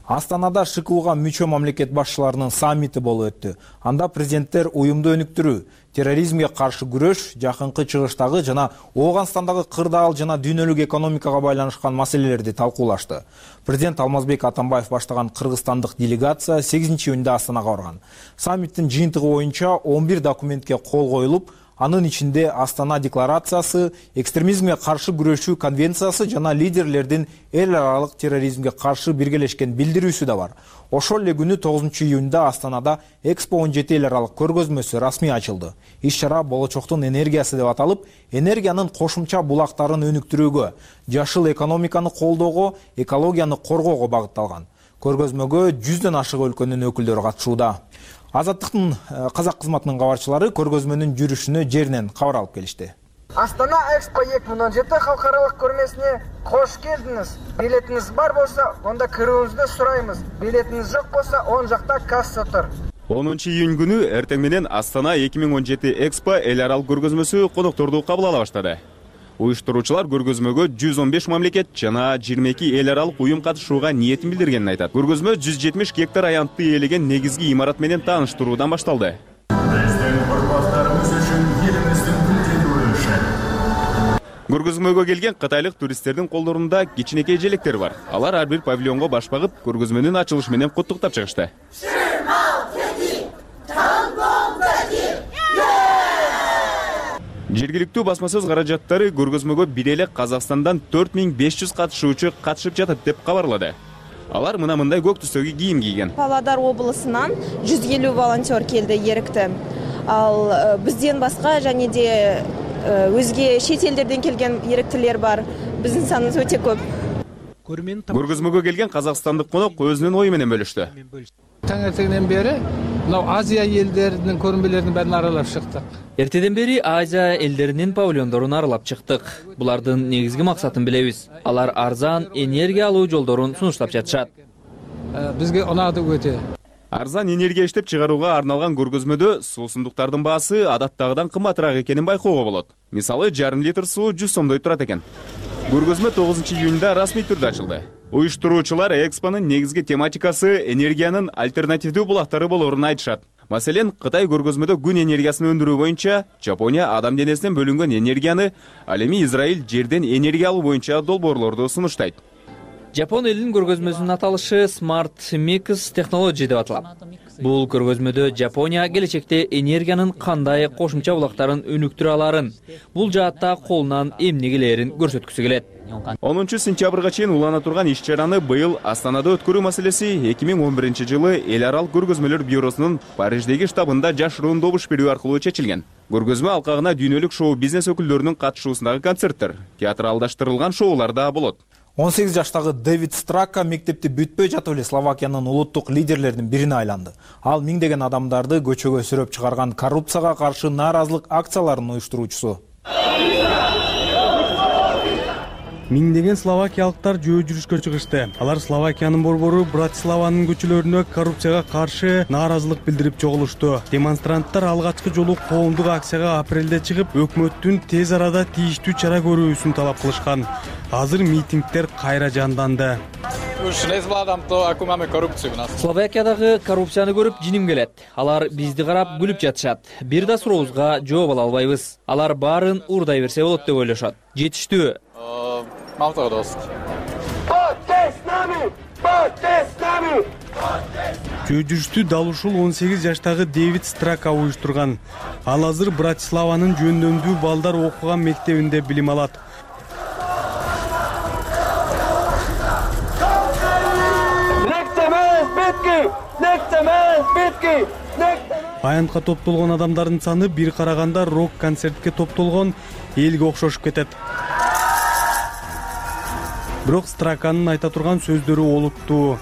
Астанада ШКУга мүчө мамлекет башчыларынын саммити болуп өттү. Анда президенттер уюмду өнүктүрүү, терроризмге каршы күрөш, жакынкы чыгыштагы жана Ооганстандагы кырдаал жана дүйнөлүк экономикага байланышкан маселелерди талкуулашты. Президент Алмазбек Атамбаев баштаган кыргызстандык делегация сегизинчи июнда Астанага барган. Саммиттин жыйынтыгы боюнча он бир документке кол коюлуп, анын ичинде Астана декларациясы, экстремизмге каршы күрөшүү конвенциясы жана лидерлердин эл аралык терроризмге каршы биргелешкен билдирүүсү да бар. Ошол эле күнү тогузунчу июнда Астанада Экспо он жети эл аралык көргөзмөсү расмий ачылды. Иш-чара болочоктун энергиясы деп аталып, энергиянын кошумча булактарын өнүктүрүүгө, жашыл экономиканы колдоого, экологияны коргоого багытталган. Көргөзмөгө жүздөн ашык өлкөнүн өкүлдөрү катышууда. Азаттыктын казак кызматынын кабарчылары көргөзмөнүн жүрүшүнө жеринен кабар алып келишти. Астана Экспо эки миң он жети халкаралык көрмесине кош келдиңиз. Билетиңиз бар болсо, онда кирүүңүздү сурайбыз. Билетиңиз жок болсо, оң жакта касса тур. онунчу июнь күнү эртең менен Астана эки миң он жети Экспо эл аралык көргөзмөсү конокторду кабыл ала баштады. Уюштуруучулар көргөзмөгө жүз он беш мамлекет жана жыйырма эки эл аралык уюм катышууга ниетин билдиргенин айтат. Көргөзмө жүз жетимиш гектар аянтты ээлеген негизги имарат менен тааныштыруудан башталды. Көргөзмөгө келген кытайлык туристтердин колдорунда кичинекей желектер бар. Алар ар бир павильонго баш багып, көргөзмөнүн ачылышы менен куттуктап чыгышты. Жергиликтүү басмасөз каражаттары көргөзмөгө бир эле Казакстандан төрт миң беш жүз катышуучу катышып жатат деп кабарлады. Алар мына мындай көк түстөгү кийим кийген. Павлодар облусунан жүз элүү волонтер келди эрикти. Ал бизден башка және де өзге шет элдерден келген эриктилер бар. Биздин саныбыз өтө көп. Көргөзмөгө келген казакстандык конок өзүнүн ою менен бөлүштү. Таңертеңден бери мына Азия элдеринин көрмөлөрүн баарын аралап чыктык. Эртеден бери Азия элдеринин павильондорун аралап чыктык. Булардын негизги максатын билебиз. Алар арзан энергия алуу жолдорун сунуштап жатышат. Бизге унады өтө. Арзан энергия иштеп чыгарууга арналган көргөзмөдө суусундуктардын баасы адаттагыдан кымбатыраак экенин байкоого болот. Мисалы, жарым литр суу жүз сомдой турат экен. Көргөзмө тогузунчу июнда расмий түрдө ачылды. Уюштуруучулар Экспонун негизги тематикасы энергиянын альтернативдүү булактары болоорун айтышат. Маселен, Кытай көргөзмөдө күн энергиясын өндүрүү боюнча, Жапония адам денесинен бөлүнгөн энергияны, ал эми Израиль жерден энергия алуу боюнча долбоорлорду сунуштайт. Жапон элинин көргөзмөсүнүн аталышы Smart Mix Technology деп аталат. Бул көргөзмөдө Жапония келечекте энергиянын кандай кошумча булактарын өнүктүрө аларын, бул жаатта колунан эмне келерин көрсөткүсү келет. онунчу сентябрга чейин улана турган иш чараны быйыл Астанада өткөрүү маселеси эки миң он биринчи жылы эл аралык көргөзмөлөр бюросунун Париждеги штабында жашыруун добуш берүү аркылуу чечилген. Көргөзмө алкагына дүйнөлүк шоу бизнес өкүлдөрүнүн катышуусундагы концерттер, театралдаштырылган шоулар да болот. он сегиз жаштагы Дэвид Страка мектепти бүтпөй жатып эле Словакиянын улуттук лидерлеринин бирине айланды. Ал миңдеген адамдарды көчөгө сүрөп чыгарган коррупцияга каршы нааразылык акцияларынын уюштуруучусу. Миңдеген словакиялыктар жөө жүрүшкө чыгышты. Алар Словакиянын борбору Братиславанын көчөлөрүнө коррупцияга каршы нааразылык билдирип чогулушту. Демонстранттар алгачкы жолу коомдук акцияга апрелде чыгып, өкмөттүн тез арада тийиштүү чара көрүүсүн талап кылышкан. Азыр митингдер кайра жанданды. Словакиядагы коррупцияны көрүп жиним келет. Алар бизди карап күлүп жатышат. Бир да сурообузга жооп ала албайбыз. Алар баарын уурдай берсе болот деп ойлошот. Жетиштүү. Жөө жүрүштү дал ушул он сегиз жаштагы Дэвид Страка уюштурган. Ал азыр Братиславанын жөндөмдүү балдар окуган мектебинде билим алат. Аянтка топтолгон адамдардын саны бир караганда рок концертке топтолгон элге окшошуп кетет. Бирок Страканын айта турган сөздөрү олуттуу.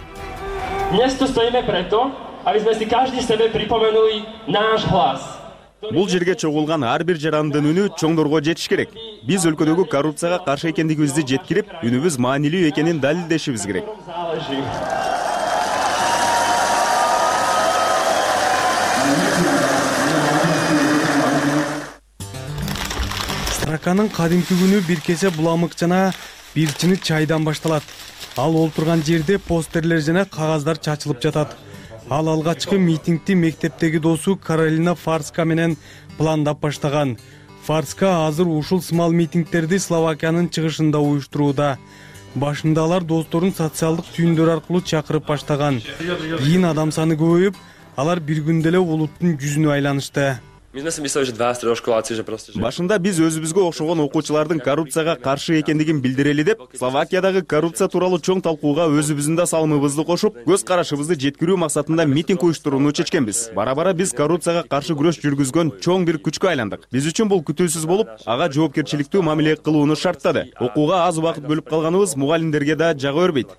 Бул жерге чогулган ар бир жарандын үнү чоңдорго жетиш керек. Биз өлкөдөгү коррупцияга каршы экендигибизди жеткирип, үнүбүз маанилүү экенин далилдешибиз керек. Страканын кадимки күнү бир кесе буламык жана бир чыны чайдан башталат. Ал олтурган жерде постерлер жана кагаздар чачылып жатат. Ал алгачкы митингди мектептеги досу Каролина Фарска менен пландап баштаган. Фарска азыр ушул сымал митингдерди Словакиянын чыгышында уюштурууда. Башында алар досторун социалдык түйүндөр аркылуу чакырып баштаган. Кийин адам саны көбөйүп, алар бир күндө эле улуттун жүзүнө айланышты. Башында биз өзүбүзгө окшогон окуучулардын коррупцияга каршы экендигин билдирели деп, Словакиядагы коррупция тууралуу чоң талкууга өзүбүздүн да салымыбызды кошуп, көз карашыбызды жеткирүү максатында митинг уюштурууну чечкенбиз. Бара-бара биз коррупцияга каршы күрөш жүргүзгөн чоң бир күчкө айландык. Биз үчүн бул күтүүсүз болуп, ага жоопкерчиликтүү мамиле кылууну шарттады. Окууга аз убакыт бөлүп калганыбыз мугалимдерге да жага бербейт.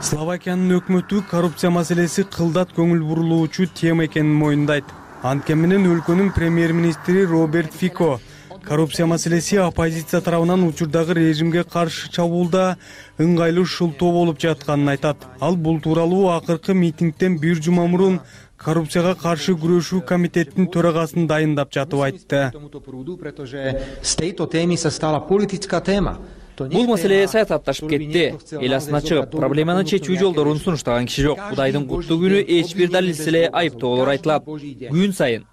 Словакиянын өкмөтү коррупция маселеси кылдат көңүл бурулуучу тема экенин моюндайт. Анткени менен өлкөнүн премьер-министри Роберт Фико коррупция маселеси оппозиция тарабынан учурдагы режимге каршы чабуулда ыңгайлуу шылтоо болуп жатканын айтат. Ал бул тууралуу акыркы митингден бир жума мурун коррупцияга каршы күрөшүү комитеттин төрагасын дайындап жатып айтты. Бул маселе саясатташып кетти. Эл астына чыгып, проблеманы чечүү жолдорун сунуштаган киши жок. Кудайдын куттуу күнү эч бир далилсиз эле айыптоолор айтылат. Күн сайын.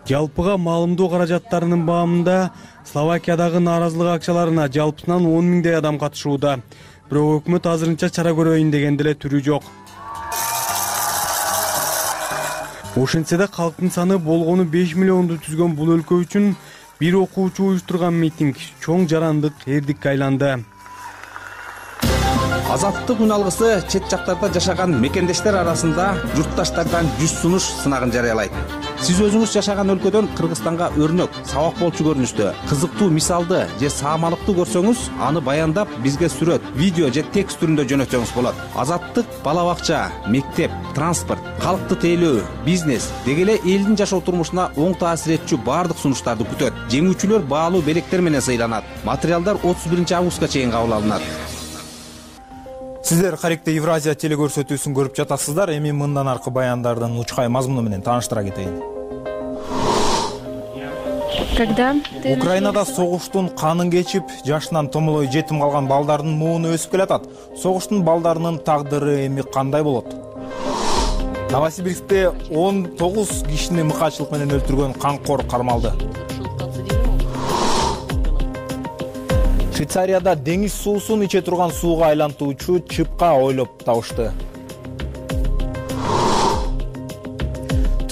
Жалпыга маалымдоо каражаттарынын баамында Словакиядагы нааразылык акцияларына жалпысынан он миңдей адам катышууда. Бирок өкмөт азырынча чара көрөйүн деген деле түрү жок. Ошентсе да калктын саны болгону беш миллионду түзгөн бул өлкө үчүн бир окуучу уюштурган митинг чоң жарандык эрдикке айланды. Азаттык үн алгысы чет жактарда жашаган мекендештер арасында журтташтардан жүз сунуш сынагын жарыялайт. Сиз өзүңүз жашаган өлкөдөн Кыргызстанга өрнөк, сабак болчу көрүнүштө, кызыктуу мисалды же саамалыкты көрсөңүз, аны баяндап бизге сүрөт, видео же текст түрүндө жөнөтсөңүз болот. Азаттык бала бакча, мектеп, транспорт, калкты тейлөө, бизнес деги эле элдин жашоо турмушуна оң таасир этчү баардык сунуштарды күтөт. Жеңүүчүлөр баалуу белектер менен сыйланат. Материалдар отуз биринчи августка чейин кабыл алынат. Сиздер Харикте Евразия телекөрсөтүүсүн көрүп жатасыздар. Эми мындан аркы баяндардын учкай мазмуну менен тааныштыра кетейин. Когда Украинада согуштун канын кечип, жашынан томолой жетим калган балдардын мууну өсүп келатат. Согуштун балдарынын тагдыры эми кандай болот? Новосибирскте он тогуз кишини мыкаачылык менен өлтүргөн камкор кармалды. Швейцарияда деңиз суусун иче турган сууга айлантуучу чыпка ойлоп табышты.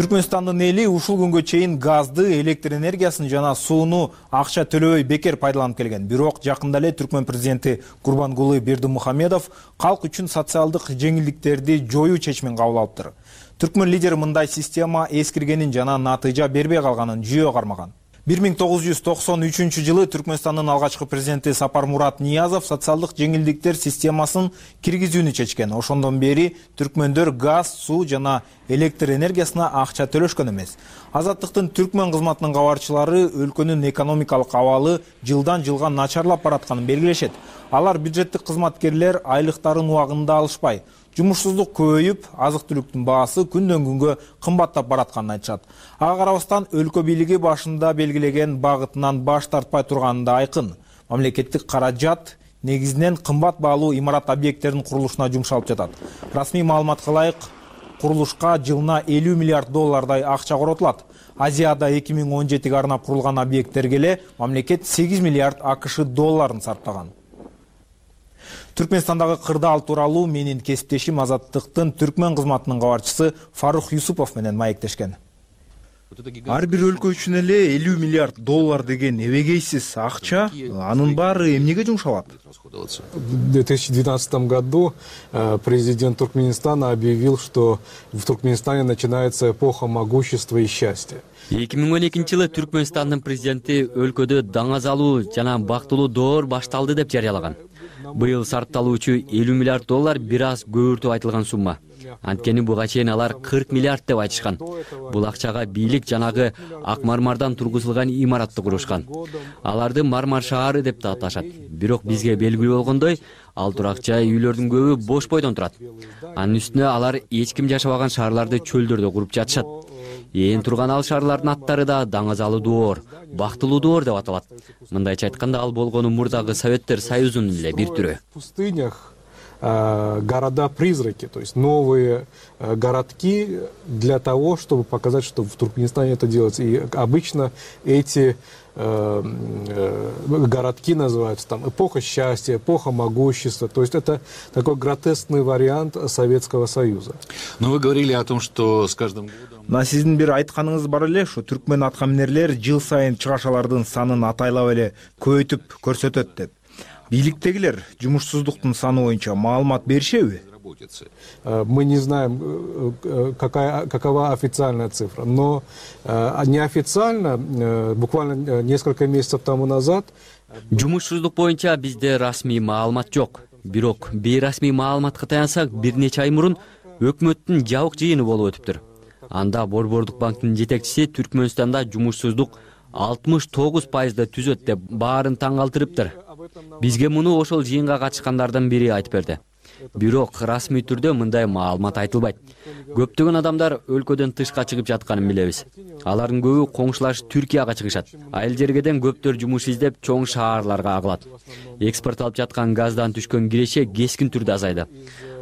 Түркмөнстандын эли ушул күнгө чейин газды, электр энергиясын жана сууну акча төлөбөй бекер пайдаланып келген. Бирок жакында эле Түркмөн президенти Курбангулы Бердимухамедов калк үчүн социалдык жеңилдиктерди жоюу чечимин кабыл алыптыр. Түркмөн лидери мындай система эскиргенин жана натыйжа бербей калганын жүйө кармаган. бир миң тогуз жүз токсон үчүнчү жылы Түркмөнстандын алгачкы президенти Сапармурат Ниязов социалдык жеңилдиктер системасын киргизүүнү чечкен. Ошондон бери түркмөндөр газ, суу жана электр энергиясына акча төлөшкөн эмес. Азаттыктын Түркмөн кызматынын кабарчылары өлкөнүн экономикалык абалы жылдан жылга начарлап баратканын белгилешет. Алар бюджеттик кызматкерлер айлыктарын убагында алышпай, жумушсуздук көбөйүп, азык-түлүктүн баасы күндөн күнгө кымбаттап баратканын айтышат. Ага карабастан өлкө бийлиги башында белгилеген багытынан баш тартпай турганы да айкын. Мамлекеттик каражат негизинен кымбат баалуу имарат объекттеринин курулушуна жумшалып жатат. Расмий маалыматка ылайык, курулушка жылына элүү миллиард доллардай акча коротулат. Азияда эки миң он жетиге арнап курулган объекттерге эле мамлекет сегиз миллиард АКШ долларын сарптаган. Түркмөнстандагы кырдаал тууралуу менин кесиптешим Азаттыктын Түркмөн кызматынын кабарчысы Фарух Юсупов менен маектешкен. Ар бир өлкө үчүн эле элүү миллиард доллар деген эбегейсиз акча, анын баары эмнеге жумшалат? В две тысячи двенадцатом году президент Туркменистана объявил, что в Туркменистане начинается эпоха могущества и счастья. эки миң он экинчи жылы Түркмөнстандын президенти өлкөдө даңазалуу жана бактылуу доор башталды деп жарыялаган. Быйыл сарпталуучу элүү миллиард доллар бир аз көбүртүп айтылган сумма. Анткени буга чейин алар кырк миллиард деп айтышкан. Бул акчага бийлик жанагы ак мармардан тургузулган имаратты курушкан. Аларды Мармар шаары деп да аташат. Бирок бизге белгилүү болгондой, ал турак жай үйлөрдүн көбү бош бойдон турат. Анын үстүнө алар эч ким жашабаган шаарларды чөлдөрдө куруп жатышат. Ээн турган ал шаарлардын аттары да даңазалуу доор, бактылуу доор деп аталат. Мындайча айтканда, ал болгону мурдагы Советтер Союзунун эле бир түрү. В пустынях города-призраки, то есть новые городки для того, чтобы показать, что в Туркменистане это делается. И обычно эти городки называются там эпоха счастья, эпоха могущества. То есть это такой гротескный вариант Советского Союза. Но вы говорили о том, что с каждым годом... Мына сиздин бир айтканыңыз бар эле, ушу түркмөн аткаминерлер жыл сайын чыгашалардын санын атайлап эле көбөйтүп көрсөтөт деп. Бийликтегилер жумушсуздуктун саны боюнча маалымат беришеби? Мы не знаем, какая, какова официальная цифра, но неофициально, буквально несколько месяцев тому назад... Жумушсуздук боюнча бизде расмий маалымат жок. Бирок бейрасмий маалыматка таянсак, бир нече ай мурун өкмөттүн жабык жыйыны болуп өтүптүр. Анда Борбордук банктын жетекчиси Түркмөнстанда жумушсуздук алтымыш тогуз пайызда түзөт деп баарын таң калтырыптыр. Бизге муну ошол жыйынга катышкандардан бири айтып берди. Бирок расмий түрдө мындай маалымат айтылбайт. Көптөгөн адамдар өлкөдөн тышка чыгып жатканын билебиз. Алардын көбү коңшулаш Түркияга чыгышат. Айыл жергеден көптөр жумуш издеп чоң шаарларга агылат. Экспорт алып жаткан газдан түшкөн киреше кескин түрдө азайды.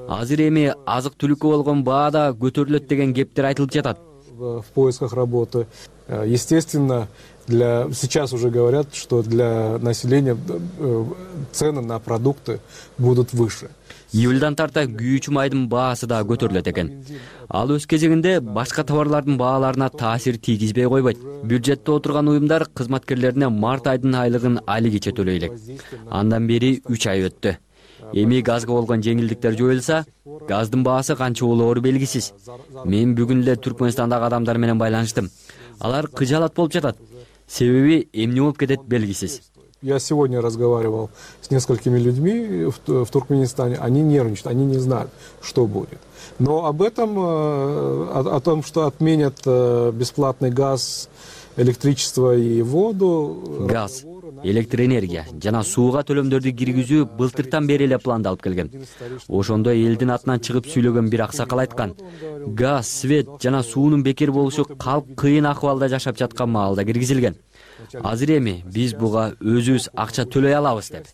Азыр эми азык-түлүккө болгон баа да көтөрүлөт деген кептер айтылып жатат. В поисках работы. Естественно, для... сейчас уже говорят, что для населения цены на продукты будут выше. Июльдан тарта күйүүчү майдын баасы да көтөрүлөт экен. Ал өз кезегинде башка товарлардын бааларына таасир тийгизбей койбойт. Бюджетте отурган уюмдар кызматкерлерине март айдын айлыгын айлы кече төлөй элек. Андан бери үч ай өттү. Эми газга болгон жеңилдиктер жоюлса, газдын баасы канча болоору белгисиз. Мен бүгүн эле Түркмөнстандагы адамдар менен байланыштым. Алар кыжаалат болуп жатат. Себеби эмне болуп кетет белгисиз. Я сегодня разговаривал с несколькими людьми в, в Туркменистане. Они нервничают, они не знают, что будет. Но об этом, о, о том, что отменят бесплатный газ, электричество и воду... Газ, электроэнергия жана сууга төлөмдөрдү киргизүү былтыртан бери эле пландалып келген. Ошондо элдин атынан чыгып сүйлөгөн бир аксакал айткан. Газ, свет жана суунун бекер болушу калк кыйын акыбалда жашап жаткан маалда киргизилген. Азыр эми биз буга өзүбүз акча төлөй алабыз деп.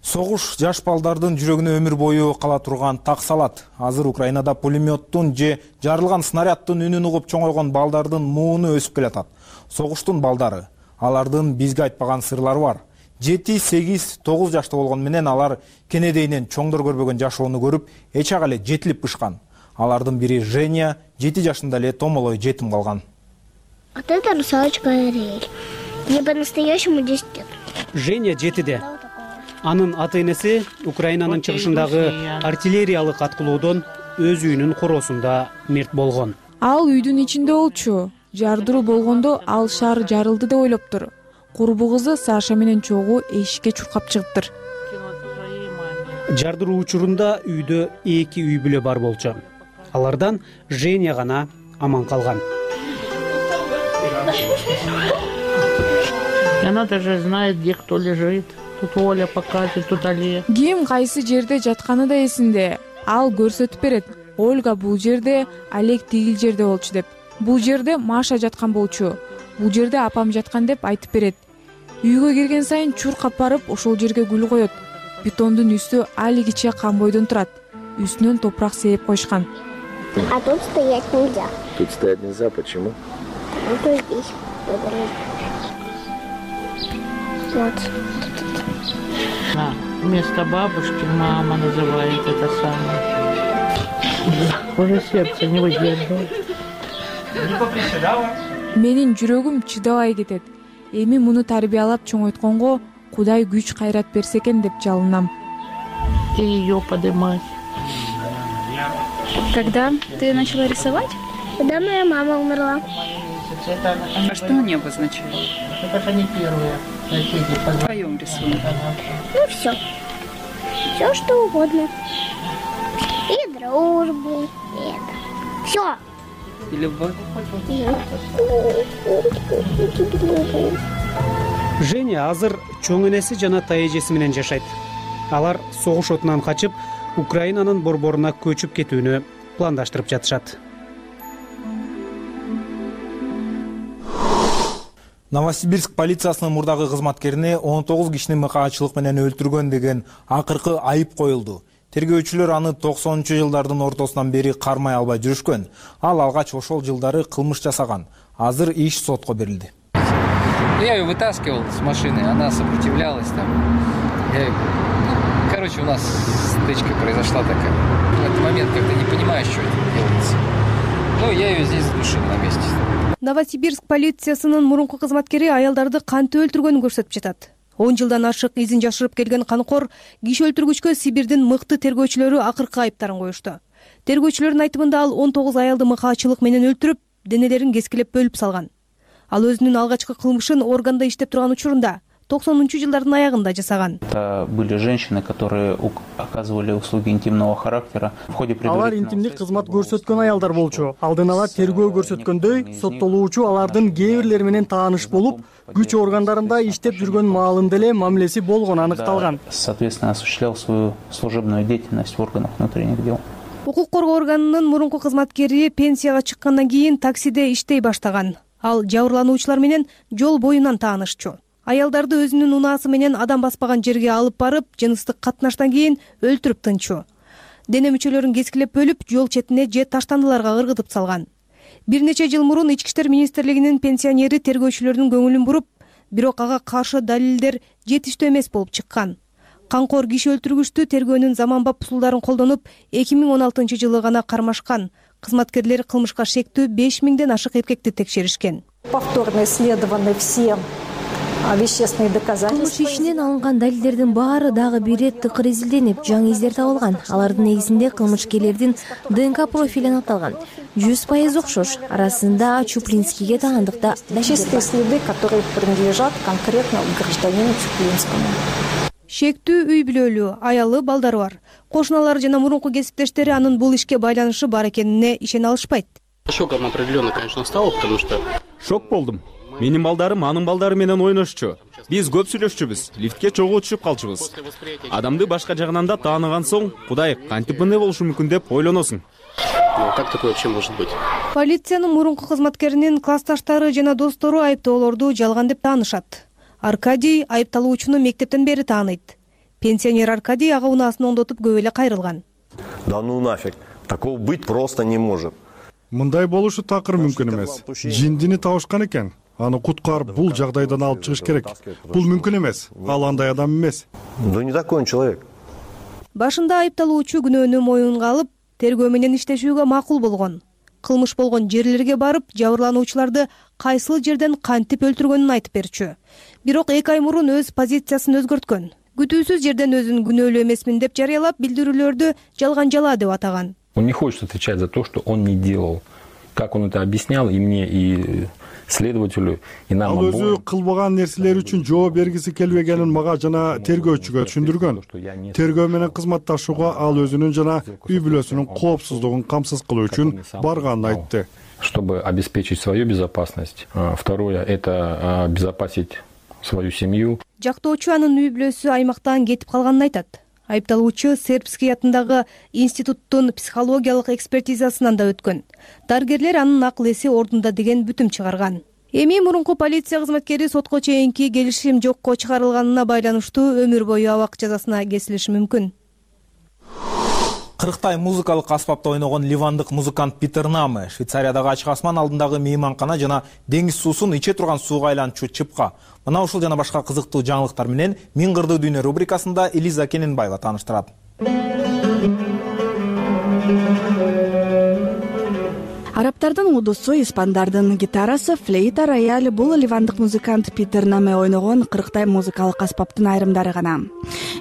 Согуш жаш балдардын жүрөгүнө өмүр бою кала турган так салат. Азыр Украинада пулеметтун же жарылган снаряддын үнүн угуп чоңойгон балдардын мууну өсүп келатат. Согуштун балдары, алардын бизге айтпаган сырлары бар. жети, сегиз, тогуз жашта болгон менен алар кенедейинен чоңдор көрбөгөн жашоону көрүп, эч ак эле жетилип бышкан. Алардын бири Женя жети жашында эле томолой жетим калган. Вот это русалочка Ариэль. Мне по-настоящему десять лет. Женя жетиде. Анын ата-энеси Украинанын чыгышындагы артиллериялык аткылоодон өз үйүнүн короосунда мерт болгон. Ал үйдүн ичинде болчу. Жардыруу болгондо ал шаар жарылды деп ойлоптур. Курбу кызы Саша менен чогуу эшикке чуркап чыгыптыр. Жардыруу учурунда үйдө эки үй бүлө бар болчу. Алардан Женя гана аман калган. Она даже знает, где кто лежит. Тут Оля покажет, тут Олег. Ким кайсы жерде жатканы да эсинде. Ал көрсөтүп берет. Ольга бул жерде, Олег тигил жерде болчу деп. Бул жерде Маша жаткан болчу. Бул жерде апам жаткан деп айтып берет. Үйгө кирген сайын чуркап барып, ошол жерге гүл коет. Бетондун үстү алигиче камбойдон турат. Үстүнөн топурак сээп койушкан. А тут стоять нельзя. Тут стоять нельзя, почему? Вот здесь. Вот. А, вместо бабушки мама называет это самое. Уже сердце не выдерживает. Менин жүрөгүм чыдабай кетет. Эми муну тарбиялап чоңойтконго Кудай күч кайрат берсе экен деп жалынам. И ее поднимать. Когда ты начала рисовать? Когда моя мама умерла. А что они обозначают? Это не первые. В твоем рисунке. Ну все. Все что угодно. И дружбу. И это. Все. И любовь. Женя азыр чоң энеси жана тайэжеси менен жашайт. Алар согуш отунан качып, Украинанын борборуна көчүп кетүүнү пландаштырып жатышат. Новосибирск полициясынын мурдагы кызматкерине он тогуз кишини мыкаачылык менен өлтүргөн деген акыркы айып коюлду. Тергөөчүлөр аны токсонунчу жылдардын ортосунан бери кармай албай жүрүшкөн. Ал алгач ошол жылдары кылмыш жасаган. Азыр иш сотко берилди. Я ее вытаскивал с машины, она сопротивлялась там. Я... Ну, короче, у нас стычка произошла такая. В этот момент как-то не понимаешь, что это делается. Ну, я ее здесь задушил на месте. Новосибирск полициясынын мурунку кызматкери аялдарды кантип өлтүргөнүн көрсөтүп жатат. он жылдан ашык изин жашырып келген канкор киши өлтүргүчкө Сибирдин мыкты тергөөчүлөрү акыркы айыптарын коюшту. Тергөөчүлөрдүн айтымында ал он тогуз аялды мыкаачылык менен өлтүрүп, денелерин кескилеп бөлүп салган. Ал өзүнүн алгачкы кылмышын органда иштеп турган учурунда токсонунчу жылдардын аягында жасаган. Это были женщины, которые оказывали услуги интимного характера. В ходе Алар интимдик кызмат көрсөткөн аялдар болчу. Алдын ала тергөө көрсөткөндөй, соттолуучу алардын кээ бирлери менен тааныш болуп, күч органдарында иштеп жүргөн маалында эле мамилеси болгону аныкталган. Соответственно, осуществлял свою служебную деятельность в органах внутренних дел. Укук коргоо органынын мурунку кызматкери пенсияга чыккандан кийин таксиде иштей баштаган. Ал жабырлануучулар менен жол боюнан таанышчу. Аялдарды өзүнүн унаасы менен адам баспаган жерге алып барып, жыныстык катнаштан кийин өлтүрүп тынчу. Дене мүчөлөрүн кескилеп бөлүп, жол четине же таштандыларга ыргытып салган. Бир нече жыл мурун Ички иштер министрлигинин пенсионери тергөөчүлөрдүн көңүлүн буруп, бирок ага каршы далилдер жетиштүү эмес болуп чыккан. Канкор киши өлтүргүчтү тергөөнүн заманбап усулдарын колдонуп, эки миң он алтынчы жылы гана кармашкан. Кызматкерлер кылмышка шектүү беш миңден ашык эркекти текшеришкен. Повторно исследованы все вещественные доказательства. Кылмыш ишинен алынган далилдердин баары дагы бир ирет тыкыр изилденип, жаңы издер табылган. Алардын негизинде кылмышкерлердин ДНК профили аныкталган. жүз пайыз окшош. Арасында Чуплинскийге таандыкта чистые следы, которые принадлежат конкретно гражданину Чуплинскому. Шектүү үй бүлөлүү, аялы, балдары бар. Кошуналары жана мурунку кесиптештери анын бул ишке байланышы бар экенине ишене алышпайт. Шоком определенно, конечно, стало, потому что... Шок болдум. Менин балдарым анын балдары менен ойношчу. Биз көп сүйлөшчүбүз, лифтке чогуу түшүп калчубуз. Адамды башка жагынан да тааныган соң, Кудай кантип мындай болушу мүмкүн деп ойлоносуң. Как такое вообще может быть? Полициянын мурунку кызматкеринин классташтары жана достору айыптоолорду жалган деп таанышат. Аркадий айыпталуучуну мектептен бери тааныйт. Пенсионер Аркадий ага унаасын оңдотуп көп эле кайрылган. Да ну нафиг, такого быть просто не может. Мындай болушу такыр мүмкүн эмес. Жиндини табышкан экен. Аны куткарып бул жагдайдан алып чыгыш керек. Бул мүмкүн эмес. Ал андай адам эмес. Да не такой он человек. Башында айыпталуучу күнөөнү моюнга алып, тергөө менен иштешүүгө макул болгон. Кылмыш болгон жерлерге барып, жабырлануучуларды кайсыл жерден кантип өлтүргөнүн айтып берчү. Бирок эки ай мурун өз позициясын өзгөрткөн. Күтүүсүз жерден өзүн күнөөлүү эмесмин деп жарыялап, билдирүүлөрдү жалган жала деп атаган. Он не хочет отвечать за то, что он не делал. Как он это объяснял и мне, и следователю, и нам обоим. Ал өзү кылбаган нерселер үчүн жооп бергиси келбегенин мага жана тергөөчүгө түшүндүргөн. Тергөө менен кызматташууга ал өзүнүн жана үй бүлөсүнүн коопсуздугун камсыз кылуу үчүн барганын айтты. Чтобы обеспечить свою безопасность. Второе — это обезопасить свою семью. Жактоочу анын үй бүлөсү аймактан кетип калганын айтат. Айыпталуучу Сербский атындагы институттун психологиялык экспертизасынан да өткөн. Дарыгерлер анын акыл эси ордунда деген бүтүм чыгарган. Эми мурунку полиция кызматкери сотко чейинки келишим жокко чыгарылганына байланыштуу өмүр бою абак жазасына кесилиши мүмкүн. кырктай музыкалык аспапта ойногон ливандык музыкант Питер Наме Швейцариядагы ачык асман алдындагы мейманкана жана деңиз суусун иче турган сууга айлантчу чыпка. Мына ушул жана башка кызыктуу жаңылыктар менен Миң кырдуу дүйнө рубрикасында Элиза Кененбаева тааныштырат. Арабтардын удусу, испандардын гитарасы, флейта, рояль — бул ливандык музыкант Питер Наме ойногон кырктай музыкалык аспаптын айрымдары гана.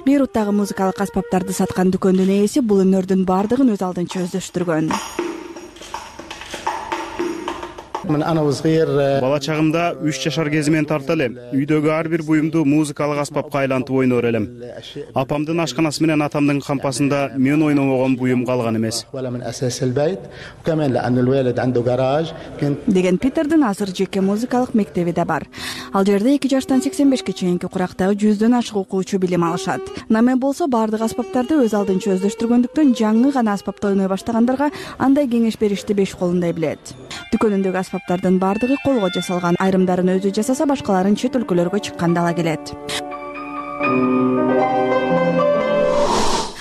Бейруттагы музыкалык аспаптарды саткан дүкөндүн ээси бул өнөрдүн бардыгын өз алдынча өздөштүргөн. Бала чагымда үч жашар кезимен тарта элем. Үйдөгү ар бир буюмду музыкалык аспапка айлантып ойнор элем. Апамдын ашканасы менен атамдын кампасында мен ойномогон буюм калган эмес. Деген Питердин азыр жеке музыкалык мектеби да бар. Ал жерде эки жаштан сексен бешке чейинки курактагы жүздөн ашык окуучу билим алышат. Наме болсо бардык аспаптарды өз алдынча өздөштүргөндүктөн жаңы гана аспапта ойной баштагандарга андай кеңеш беришти беш колундай билет. Дүкөнүндөгү аспаптардын бардыгы колго жасалган, айрымдарын өзү жасаса, башкаларын чет өлкөлөргө чыкканда ала келет.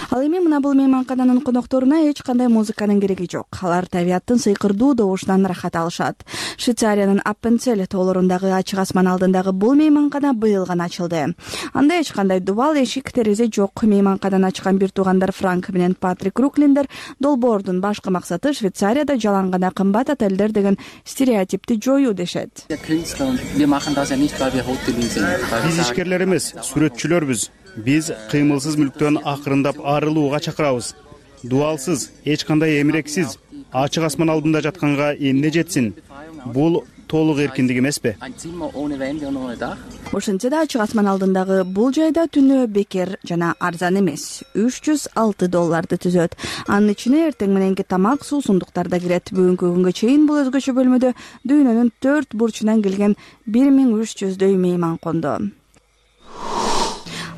Ал эми мына бул мейманкананын конокторуна эч кандай музыканын кереги жок. Алар табияттын сыйкырдуу добушунан ырахат алышат. Швейцариянын Аппенцель тоолорундагы ачык асман алдындагы бул мейманкана быйыл гана ачылды. Анда эч кандай дубал, эшик, терезе жок. Мейманкананы ачкан бир туугандар Франк менен Патрик Руклиндер долбоордун башкы максаты Швейцарияда жалаң гана кымбат отелдер деген стереотипти жоюу дешет. Биз ишкерлер эмес, сүрөтчүлөрбүз. Биз кыймылсыз мүлктөн акырындап арылууга чакырабыз. Дуалсыз, эч кандай эмирексиз, ачык асман алдында жатканга эмне жетсин? Бул толук эркиндик эмеспи? Ошентсе да ачык асман алдындагы бул жайда түнөө бекер жана арзан эмес. үч жүз алты долларды түзөт. Анын ичине эртең мененки тамак, суу, сундуктар да кирет. Бүгүнкү күнгө чейин бул өзгөчө бөлмөдө дүйнөнүн төрт бурчунан келген бир миң үч жүздөй мейман конду.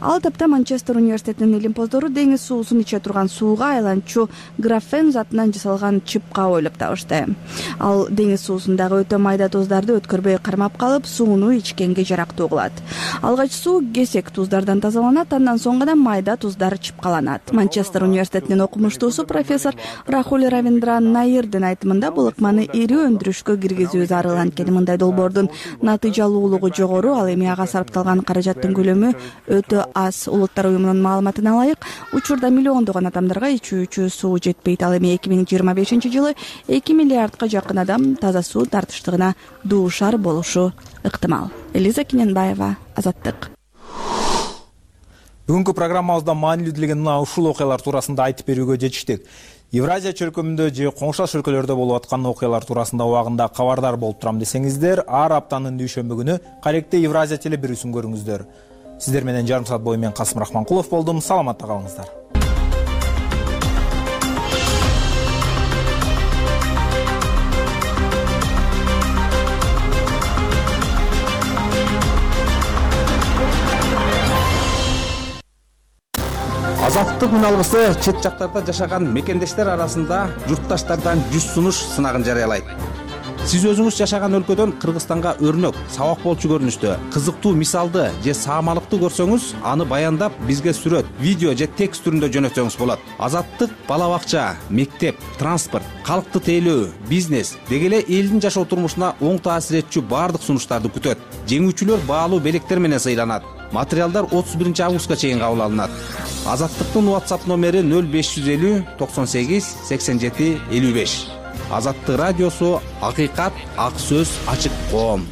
Ал тапта Манчестер университетинин илимпоздору деңиз суусун иче турган сууга айланчу графен затынан жасалган чыпка ойлоп табышты. Ал деңиз суусундагы өтө майда туздарды өткөрбөй кармап калып, сууну ичкенге жарактуу кылат. Алгач суу кесек туздардан тазаланат, андан соң гана майда туздар чыпкаланат. Манчестер университетинин окумуштуусу профессор Рахуль Равиндран Наирдин айтымында бул ыкманы ири өндүрүшкө киргизүү зарыл. Анткени мындай долбоордун натыйжалуулугу жогору, ал эми ага сарпталган каражаттын көлөмү өтө аз. Улуттар уюмунун маалыматына ылайык, учурда миллиондогон адамдарга ичүүчү суу жетпейт. Ал эми эки миң жыйырма бешинчи жылы эки миллиардка жакын адам таза суу тартыштыгына дуушар болушу ыктымал. Элиза Кененбаева, Азаттык. Бүгүнкү программабызда маанилүү делген мына ушул окуялар туурасында айтып берүүгө жетиштик. Евразия чөлкөмүндө же коңшулаш өлкөлөрдө болуп аткан окуялар туурасында убагында кабардар болуп турам десеңиздер, ар аптанын дүйшөмбү күнү Каректе Евразия телебирүүсүн көрүңүздөр. Сиздер менен жарым саат бою мен Касым Рахманкулов болдум. Саламатта калыңыздар. Азаттык үналгысы чет жактарда жашаган мекендештер арасында журтташтардан жүз сунуш сынагын жарыялайт. Сиз өзүңүз жашаган өлкөдөн Кыргызстанга өрнөк, сабак болчу көрүнүштө, кызыктуу мисалды же саамалыкты көрсөңүз, аны баяндап бизге сүрөт, видео же текст түрүндө жөнөтсөңүз болот. Азаттык бала бакча, мектеп, транспорт, калкты тейлөө, бизнес деги эле элдин жашоо турмушуна оң таасир этчү баардык сунуштарды күтөт. Жеңүүчүлөр баалуу белектер менен сыйланат. материалдар отуз биринчи августка чейин кабыл алынат. Азаттыктын WhatsApp номери нөл беш жүз элүү токсон сегиз сексен жети элүү беш. Азаттык радиосу, акыйкат, ак сөз, ачык коом.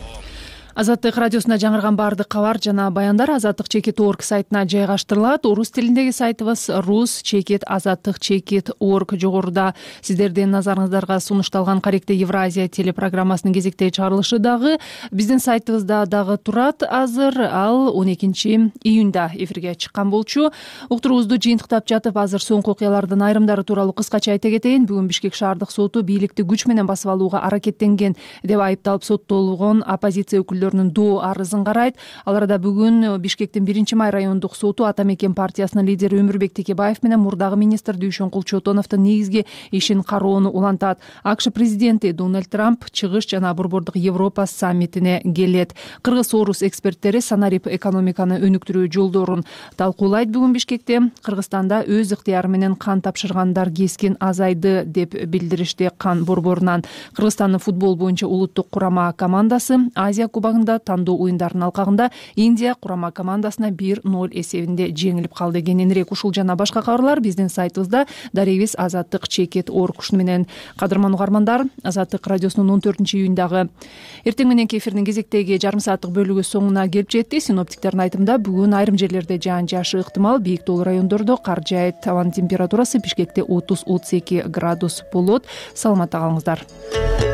Азаттык радиосуна жаңырган баардык кабар жана баяндар азаттык чекит точка орг сайтына жайгаштырылат. Орус тилиндеги сайтыбыз рус чекит азаттык чекит точка орг. Жогоруда сиздердин назарыңыздарга сунушталган Каректе Евразия телепрограммасынын кезектеги чыгарылышы дагы биздин сайтыбызда дагы турат азыр. Ал он экинчи июнда эфирге чыккан болчу. Уктуруубузду жыйынтыктап жатып, азыр соңку окуялардын айрымдары тууралуу кыскача айта кетейин. Бүгүн Бишкек шаардык соту бийликти күч менен басып алууга аракеттенген деп айыпталып соттолгон оппозиция өкүлдөрү доо арызын карайт. Ал арада бүгүн Бишкектин биринчи май райондук соту Ата Мекен партиясынын лидери Өмүрбек Текебаев менен мурдагы министр Дүйшөнкул Чотоновдун негизги ишин кароону улантат. АКШ президенти Дональд Трамп чыгыш жана Борбордук Европа саммитине келет. Кыргыз-орус эксперттери санарип экономиканы өнүктүрүү жолдорун талкуулайт. Бүгүн Бишкекте Кыргызстанда өз ыктыяры менен кан тапшыргандар кескин азайды деп билдиришти кан борборунан. Кыргызстандын футбол боюнча улуттук курама командасы Азия кубогунда тандоо оюндарынын алкагында Индия курама командасына бир ноль эсебинде жеңилип калды. Кененирээк ушул жана башка кабарлар биздин сайтыбызда дарегибиз азаттык чекит точка орг. Ушуну менен кадырман угармандар, Азаттык радиосунун он төртүнчү июндагы эртең мененки эфирдин кезектеги жарым сааттык бөлүгү соңуна келип жетти. Синоптиктердин айтымында бүгүн айрым жерлерде жаан жаашы ыктымал. Бийик тоолуу райондордо кар жаайт. Абанын температурасы Бишкекте отуз отуз эки градус болот. Саламатта калыңыздар.